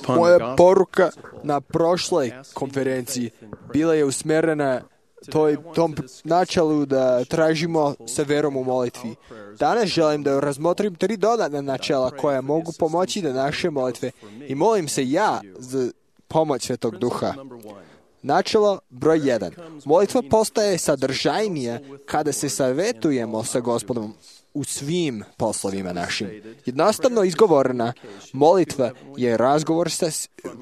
Moja poruka na prošloj konferenciji bila je usmjerena tom načelu da tražimo sa verom u molitvi. Danas želim da razmotrim 3 dodatna načela koja mogu pomoći da naše molitve i molim se ja za pomoć Svetog Duha. Načelo broj 1. Molitva postaje sadržajnija kada se savjetujemo sa Gospodom u svim poslovima našim. Jednostavno izgovorena molitva je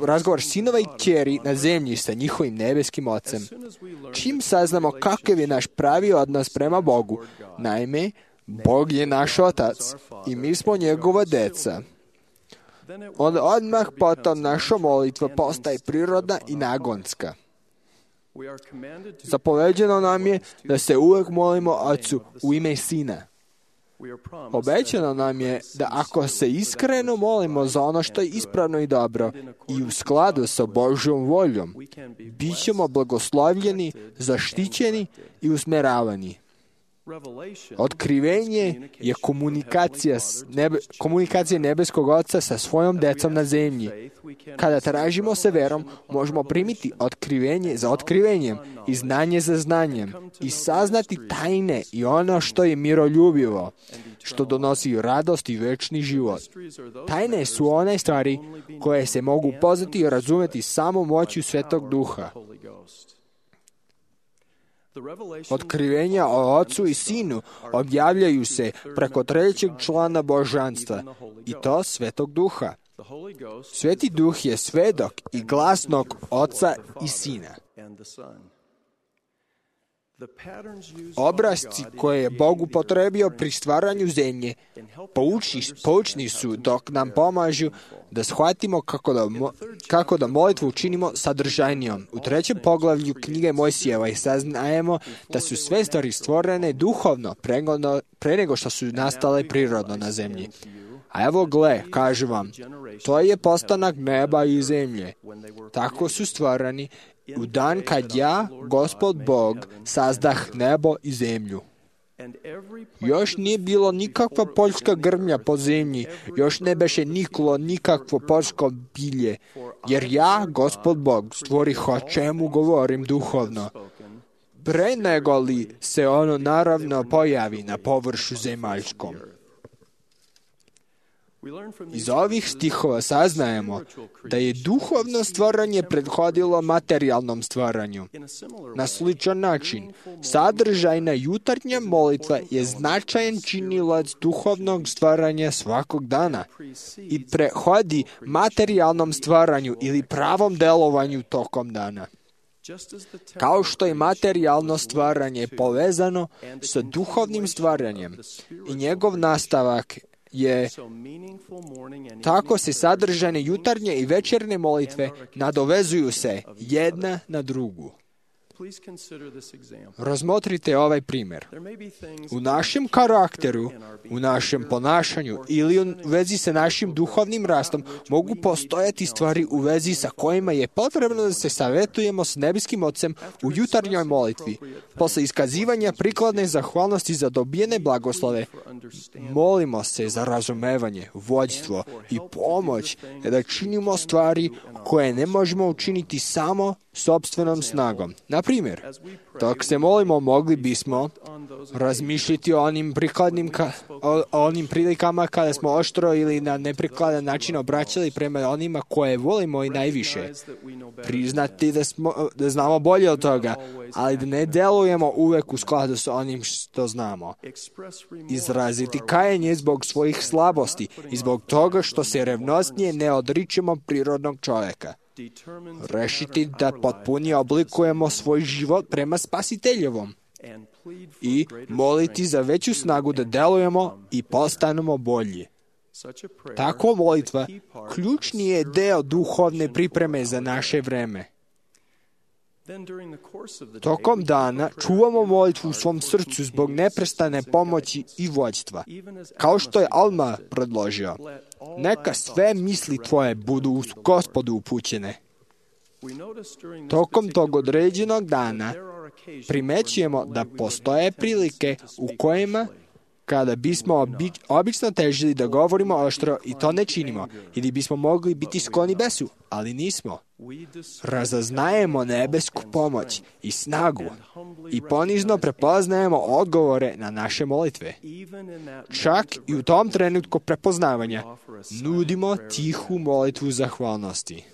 razgovor sinova i kćeri na zemlji sa njihovim nebeskim Ocem. Čim saznamo kakav je naš pravi odnos prema Bogu, naime, Bog je naš Otac i mi smo njegova deca, onda odmah potom naša molitva postaje prirodna i nagonska. Zapoveđeno nam je da se uvek molimo Ocu u ime Sina. Obećano nam je da ako se iskreno molimo za ono što je ispravno i dobro i u skladu sa Božjom voljom, bit ćemo blagoslovljeni, zaštićeni i usmeravani. Otkrivenje je komunikacija nebeskog Oca sa svojom decom na zemlji. Kada tražimo se verom, možemo primiti otkrivenje za otkrivenjem i znanje za znanjem i saznati tajne i ono što je miroljubivo, što donosi radost i večni život. Tajne su one stvari koje se mogu poznati i razumeti samo moću Svetog Duha. Otkrivenja o Ocu i Sinu objavljaju se preko trećeg člana božanstva, i to Svetog Duha. Sveti Duh je svedok i glasnog Oca i Sina. Obrasci koje je Bog upotrebio pri stvaranju zemlje poučni su dok nam pomažu da shvatimo kako da molitvu učinimo sadržajnijom. U 3. poglavlju knjige Mojsijeva saznajemo da su sve stvari stvorene duhovno pre nego što su nastale prirodno na zemlji. A evo gle, kažu vam, to je postanak neba i zemlje. Tako su stvarani u dan kad ja, Gospod Bog, sazdah nebo i zemlju. Još nije bilo nikakva poljska grmlja po zemlji, još ne beše niklo nikakvo poljsko bilje, jer ja, Gospod Bog, stvorih o čemu govorim duhovno, pre nego li se ono naravno pojavi na površu zemaljskom. Iz ovih stihova saznajemo da je duhovno stvaranje prethodilo materijalnom stvaranju. Na sličan način, sadržajna jutarnja molitva je značajan činilac duhovnog stvaranja svakog dana i prehodi materijalnom stvaranju ili pravom delovanju tokom dana. Kao što je materijalno stvaranje povezano sa duhovnim stvaranjem i njegov nastavak je tako se sadržane jutarnje i večernje molitve nadovezuju se jedna na drugu. Razmotrite ovaj primjer. U našem karakteru, u našem ponašanju ili u vezi sa našim duhovnim rastom mogu postojati stvari u vezi sa kojima je potrebno da se savjetujemo s nebeskim Ocem u jutarnjoj molitvi. Posle iskazivanja prikladne zahvalnosti za dobijene blagoslove, molimo se za razumevanje, vođstvo i pomoć da činimo stvari koje ne možemo učiniti samo sopstvenom snagom. Na primjer, dok se molimo, mogli bismo razmišljati o onim prilikama kada smo oštro ili na neprikladan način obraćali prema onima koje volimo i najviše. Priznati da znamo bolje od toga, ali da ne delujemo uvek u skladu s onim što znamo. Izraziti kajanje zbog svojih slabosti i zbog toga što se revnosnije ne odričemo prirodnog čovjeka. Rešiti da potpunije oblikujemo svoj život prema Spasiteljevom i moliti za veću snagu da delujemo i postanemo bolji. Tako molitva ključni je deo duhovne pripreme za naše vreme. Tokom dana čuvamo molitvu u svom srcu zbog neprestane pomoći i vođstva. Kao što je Alma predložio, neka sve misli tvoje budu u Gospodu upućene. Tokom tog određenog dana primećujemo da postoje prilike u kojima kada bismo obično težili da govorimo oštro i to ne činimo, ili bismo mogli biti skloni besu, ali nismo. Razaznajemo nebesku pomoć i snagu i ponizno prepoznajemo odgovore na naše molitve. Čak i u tom trenutku prepoznavanja nudimo tihu molitvu zahvalnosti.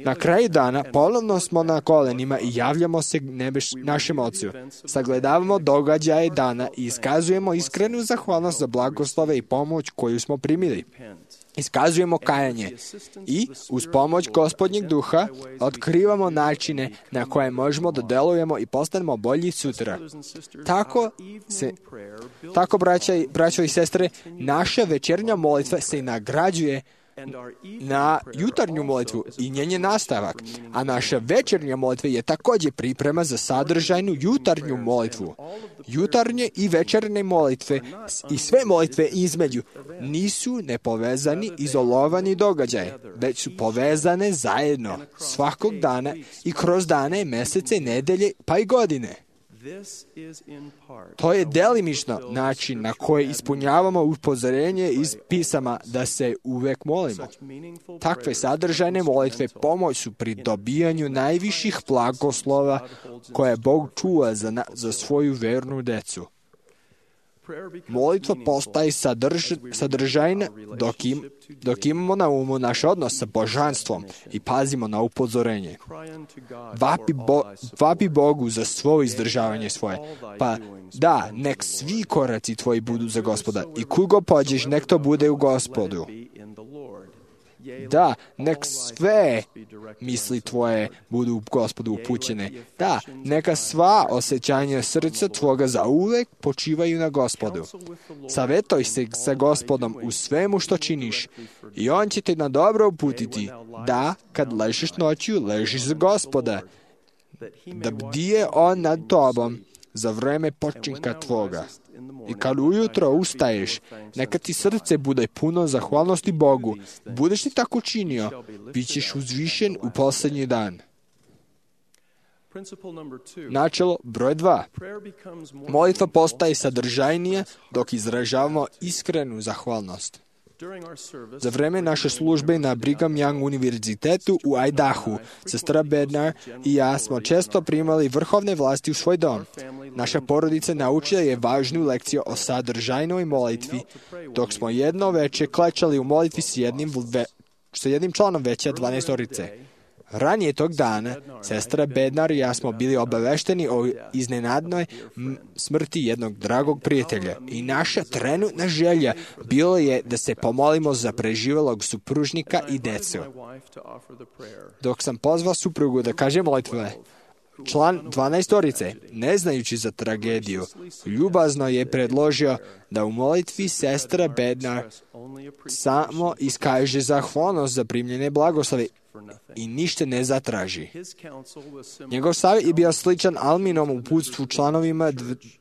Na kraju dana ponovno smo na kolenima i javljamo se našem Ocu. Sagledavamo događaje dana i iskazujemo iskrenu zahvalnost za blagoslove i pomoć koju smo primili. Iskazujemo kajanje i uz pomoć Gospodnjeg Duha otkrivamo načine na koje možemo da delujemo i postanemo bolji sutra. Tako braćo i sestre, naša večernja molitva se nagrađuje na jutarnju molitvu i njen je nastavak, a naša večernja molitva je također priprema za sadržajnu jutarnju molitvu. Jutarnje i večernje molitve i sve molitve između nisu nepovezani, izolovani događaje, već su povezane zajedno svakog dana i kroz dane, mesece, nedelje pa i godine. To je delimično način na koji ispunjavamo upozorenje iz pisama da se uvek molimo. Takve sadržajne molitve pomoć su pri dobijanju najviših blagoslova koje Bog čuva za svoju vernu decu. Molitva postaje sadržajna dok imamo na umu naš odnos sa božanstvom i pazimo na upozorenje. Vapi Bogu za svoje izdržavanje svoje. Pa da, nek svi koraci tvoji budu za Gospoda i kud go pođeš, nek to bude u Gospodu. Da, nek sve misli tvoje budu u Gospodu upućene. Da, neka sva osjećanja srca tvoga zauvek počivaju na Gospodu. Savetoj se sa Gospodom u svemu što činiš i On će te na dobro uputiti. Da, kad ležiš noću, ležiš za Gospoda. Da bdije On nad tobom za vreme počinka tvoga. I kad ujutro ustaješ, neka ti srce bude puno zahvalnosti Bogu. Budeš li tako činio, bit ćeš uzvišen u posljednji dan. Načelo broj 2. Molitva postaje sadržajnija dok izražavamo iskrenu zahvalnost. Za vreme naše službe na Brigham Young univerzitetu u Idahu, sestra Bednar i ja smo često primali vrhovne vlasti u svoj dom. Naša porodica naučila je važnu lekciju o sadržajnoj molitvi, dok smo jedno veče klečali u molitvi s jednim članom veća 12-orice. Ranije tog dana, sestra Bednar i ja smo bili obavešteni o iznenadnoj smrti jednog dragog prijatelja i naša trenutna želja bilo je da se pomolimo za preživelog supružnika i decu. Dok sam pozvao suprugu da kaže molitve, član 12-orice, ne znajući za tragediju, ljubazno je predložio da u molitvi sestra Bednar samo iskaže zahvalnost za primljene blagoslove i ništa ne zatraži. Njegov savjet je bio sličan Alminom uputstvu članovima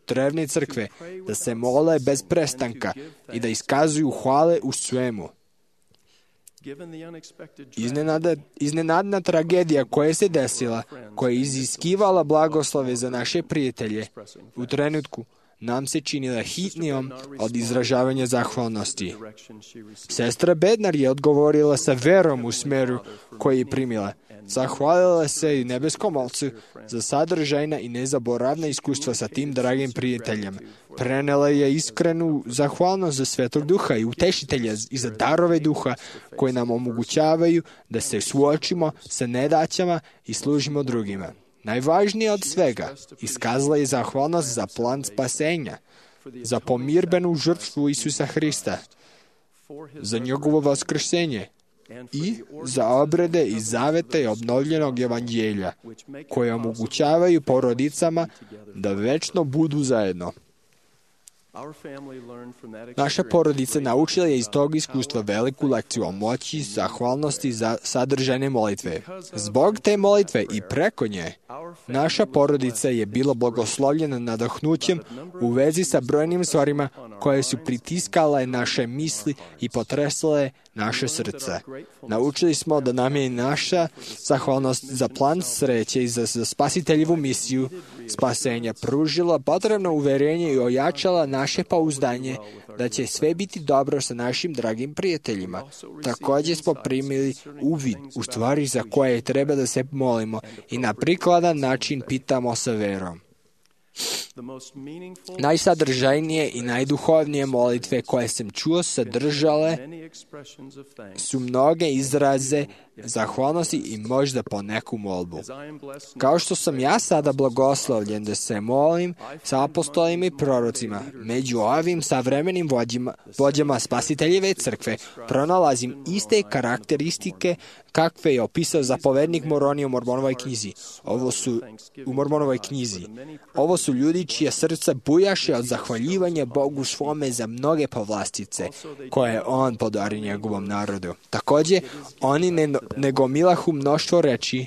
drevne crkve, da se mole bez prestanka i da iskazuju hvale u svemu. Iznenadna tragedija koja se desila, koja je iziskivala blagoslove za naše prijatelje, u trenutku nam se činila hitnijom od izražavanja zahvalnosti. Sestra Bednar je odgovorila sa verom u smeru koji je primila. Zahvalila se i nebeskom Ocu za sadržajna i nezaboravna iskustva sa tim dragim prijateljem. Prenela je iskrenu zahvalnost za Svetog Duha i Utešitelja i za darove Duha koje nam omogućavaju da se suočimo sa nedaćama i služimo drugima. Najvažnije od svega, iskazala je zahvalnost za plan spasenja, za pomirbenu žrtvu Isusa Hrista, za njegovo vaskrsenje i za obrede i zavete obnovljenog evanđelja, koje omogućavaju porodicama da večno budu zajedno. Naša porodica naučila je iz tog iskustva veliku lekciju o moći zahvalnosti za sadržajne molitve. Zbog te molitve i preko nje, naša porodica je bila blagoslovljena nadahnućem u vezi sa brojnim stvarima koje su pritiskale naše misli i potresale naše srce. Naučili smo da nam je naša zahvalnost za plan sreće i za spasiteljevu misiju spasenja pružila potrebno uverenje i ojačala naše pouzdanje da će sve biti dobro sa našim dragim prijateljima. Također smo primili uvid u stvari za koje treba da se molimo i na prikladan način pitamo sa verom. Najsadržajnije i najduhovnije molitve koje sam čuo sadržale su mnoge izraze zahvalnosti i možda po neku molbu. Kao što sam ja sada blagoslovljen da se molim sa apostolima i prorocima, među ovim savremenim vođama spasiteljeve crkve pronalazim iste karakteristike kakve je opisao zapovednik Moroni u Mormonovoj knjizi. Ovo su ljudi čija srca bujaše od zahvaljivanja Bogu svome za mnoge povlastice koje je on podario njegovom narodu. Također, oni ne gomilahu mnoštvo reči,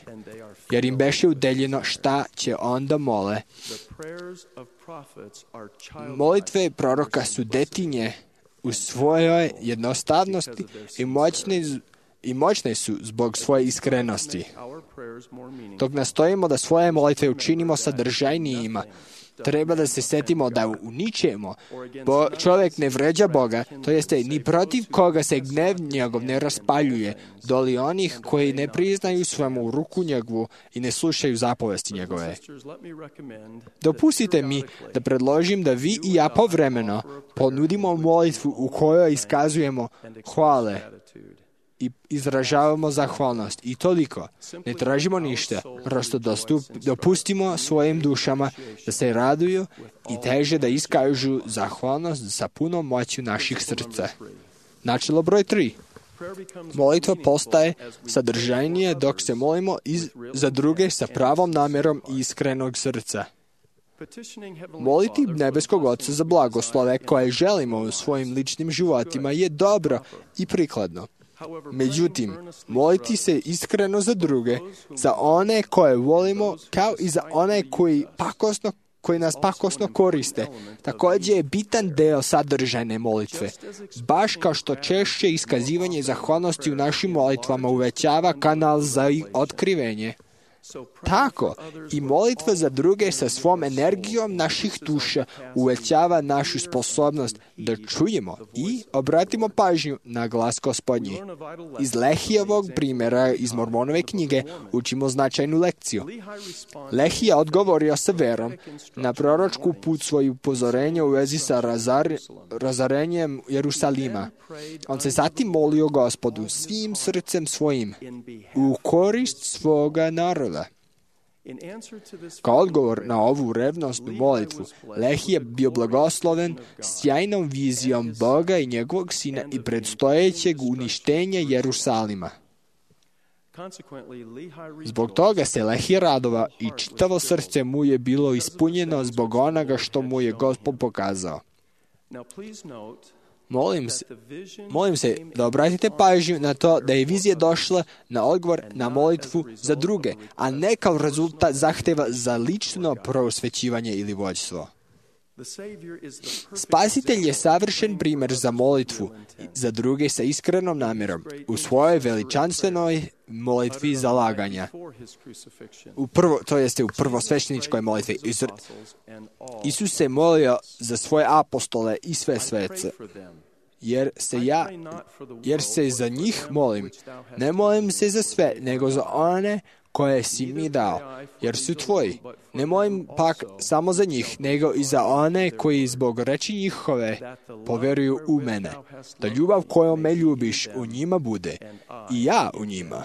jer im beše udeljeno šta će onda mole. Molitve proroka su detinje u svojoj jednostavnosti i moćne su zbog svoje iskrenosti. Dok nastojimo da svoje molitve učinimo sadržajnijima, treba da se setimo da u ničemu čovjek ne vređa Boga, to jeste ni protiv koga se gnev njegov ne raspaljuje, doli onih koji ne priznaju svemu ruku njegovu i ne slušaju zapovesti njegove. Dopustite mi da predložim da vi i ja povremeno ponudimo molitvu u kojoj iskazujemo hvale i izražavamo zahvalnost. I toliko. Ne tražimo ništa. Prosto dopustimo svojim dušama da se raduju i teže da iskažu zahvalnost sa punom moću naših srca. Načelo broj 3. Molitva postaje sadržajnije dok se molimo za druge sa pravom namjerom i iskrenog srca. Moliti nebeskog Oca za blagoslove koje želimo u svojim ličnim životima je dobro i prikladno. Međutim, moliti se iskreno za druge, za one koje volimo, kao i za one koji nas pakosno koriste, također je bitan deo sadržajne molitve. Baš kao što češće iskazivanje zahvalnosti u našim molitvama uvećava kanal za otkrivenje, tako i molitva za druge sa svom energijom naših duša uvećava našu sposobnost da čujemo i obratimo pažnju na glas Gospodnji. Iz Lehijevog primjera iz Mormonove knjige učimo značajnu lekciju. Lehija odgovorio sa verom na proročku put svoje upozorenje u vezi sa razarenjem Jerusalima. On se zatim molio Gospodu svim srcem svojim u korist svoga naroda. Kao odgovor na ovu revnosnu molitvu, Lehija bio blagosloven sjajnom vizijom Boga i njegovog sina i predstojećeg uništenja Jerusalima. Zbog toga se Lehija radova i čitavo srce mu je bilo ispunjeno zbog onoga što mu je Gospod pokazao. Molim se da obratite pažnju na to da je vizija došla na odgovor na molitvu za druge, a ne kao rezultat zahteva za lično prosvećivanje ili vođstvo. Spasitelj je savršen primjer za molitvu za druge sa iskrenom namjerom u svojoj veličanstvenoj molitvi zalaganja. U prvosvećeničkoj molitvi. Isus se molio za svoje apostole i sve svece. Jer se za njih molim. Ne molim se za sve, nego za one koje si mi dao, jer su tvoji. Ne molim pak samo za njih, nego i za one koji zbog reči njihove poveruju u mene, da ljubav kojom me ljubiš u njima bude, i ja u njima.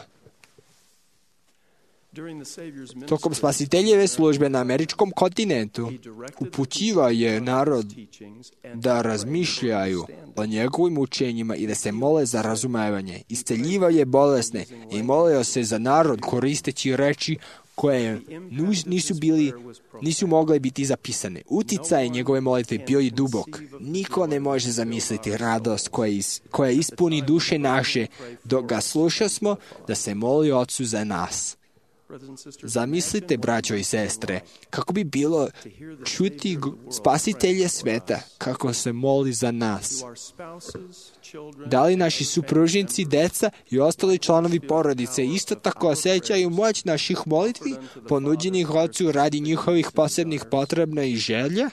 Tokom spasiteljeve službe na američkom kontinentu upućivao je narod da razmišljaju o njegovim učenjima i da se mole za razumevanje. Isceljivao je bolesne i molio se za narod koristeći reči koje nisu mogle biti zapisane. Uticaj njegove molitve bio je dubok. Niko ne može zamisliti radost koja ispuni duše naše dok ga slušasmo da se moli Ocu za nas. Zamislite, braćo i sestre, kako bi bilo čuti Spasitelja sveta kako se moli za nas. Da li naši supružnici, deca i ostali članovi porodice isto tako osjećaju moć naših molitvi ponuđenih Ocu radi njihovih posebnih potreba i želja?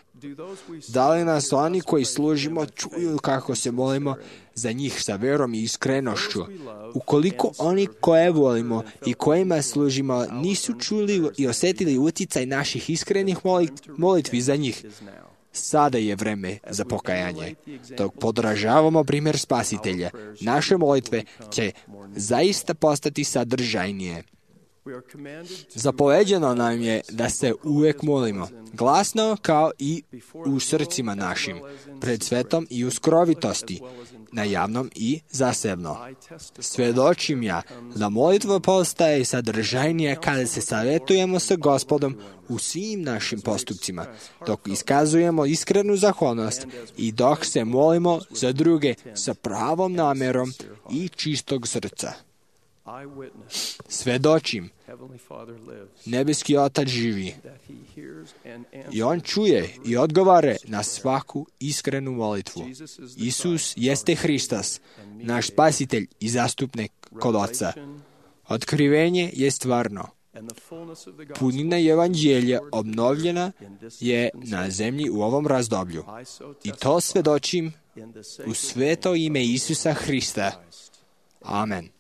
Da li nas oni koji služimo čuju kako se molimo za njih sa verom i iskrenošću? Ukoliko oni koje volimo i kojima služimo nisu čuli i osjetili utjecaj naših iskrenih molitvi za njih, sada je vreme za pokajanje. Dok podražavamo primjer Spasitelja, naše molitve će zaista postati sadržajnije. Zapoveđeno nam je da se uvijek molimo, glasno kao i u srcima našim, pred svetom i u skrovitosti. na javnom i zasebno. Svedočim ja da molitva postaje sadržajnija kada se savjetujemo sa Gospodom u svim našim postupcima, dok iskazujemo iskrenu zahvalnost i dok se molimo za druge sa pravom namerom i čistog srca. Svedočim, nebeski Otac živi i On čuje i odgovara na svaku iskrenu molitvu. Isus jeste Hristos, naš spasitelj i zastupnik kod Oca. Otkrivenje je stvarno. Punina evanđelja obnovljena je na zemlji u ovom razdoblju. I to svedočim u sveto ime Isusa Hrista. Amen.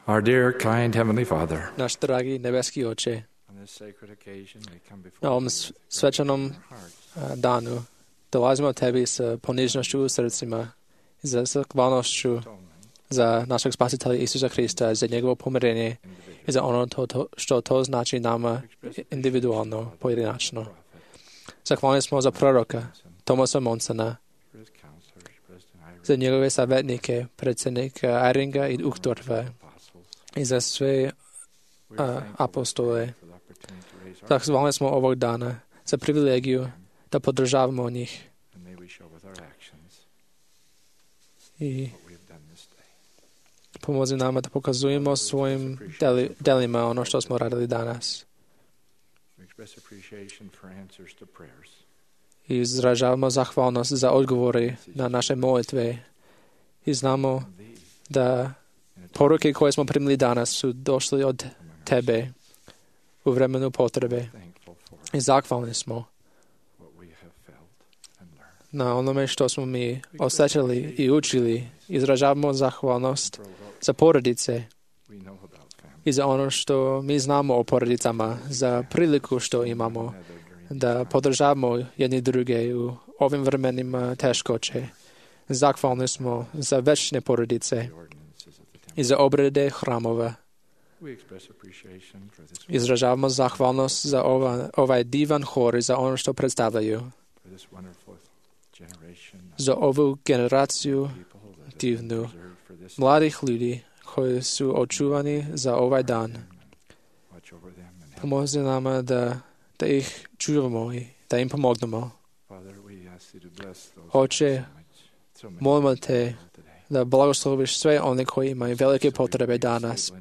Our dear, kind Heavenly Father, Naš dragi nebeski Oče, na ovom svečanom danu dolazimo Tebi sa ponižnošću u srcima i za zahvalnošću za našeg spasitelja Isusa Hrista, za njegovo pomirenje i za ono što to znači nama individualno, pojedinačno. Zahvalni smo za proroka Tomasa Monsona, za njegove savjetnike, predsjednika Iringa i Uchtdorfa i za sve apostole. Zahvalni smo ovog dana za privilegiju da podržavamo njih. I pomozi nama da pokazujemo svojim delima ono što smo radili danas. I izražavamo zahvalnost za odgovore na naše molitve. I znamo da poruke koje smo primili danas su došli od Tebe u vremenu potrebe. I zahvalni smo na onome što smo mi osjećali i učili. Izražavamo zahvalnost za porodice i za ono što mi znamo o porodicama, za priliku što imamo da podržavamo jedni druge u ovim vremenima teškoće. Zahvalni smo za večne porodice i za obrede hramova. Izražavamo zahvalnost za ovaj divan hor i za ono što predstavljaju. Za ovu generaciju divnu mladih ljudi koji su očuvani za ovaj dan. Pomozi nama da ih čuvamo i da im pomognemo. Oče, molimo te da blagosloviš sve one koji imaju velike potrebe danas.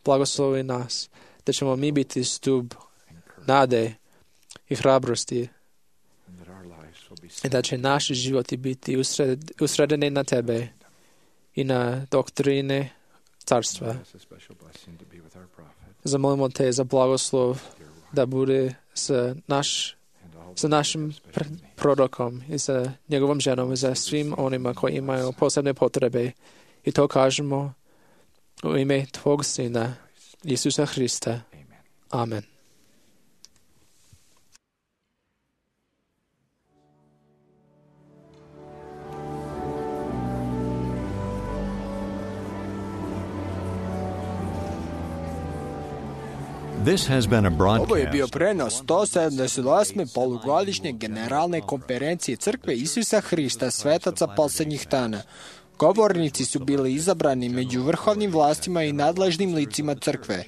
Blagoslovi nas, da ćemo mi biti stup nade i hrabrosti i da će naši životi biti usredeni na Tebe i na doktrine carstva. Zamolimo te za blagoslov da bude sa našim prorokom i sa njegovom ženom i za svim onima koji imaju posebne potrebe. I to kažemo u ime Tvog Sina, Isusa Hrista. Amen. Ovo je bio prenos 178. polugodišnje generalne konferencije Crkve Isusa Hrista svetaca posljednjih dana. Govornici su bili izabrani među vrhovnim vlastima i nadležnim licima crkve.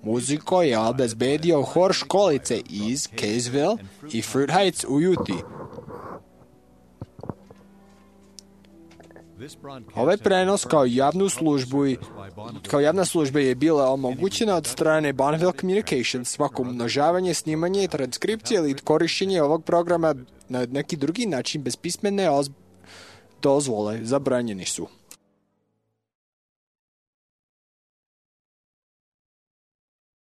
Muziku je obezbedio hor školice iz Kaysville i Fruit Heights u Utah. Ovaj prenos kao javna služba je bila omogućena od strane Bonneville Communications. Svako umnožavanje, snimanje, transkripcije ili korištenje ovog programa na neki drugi način bez pismene dozvole zabranjeni su.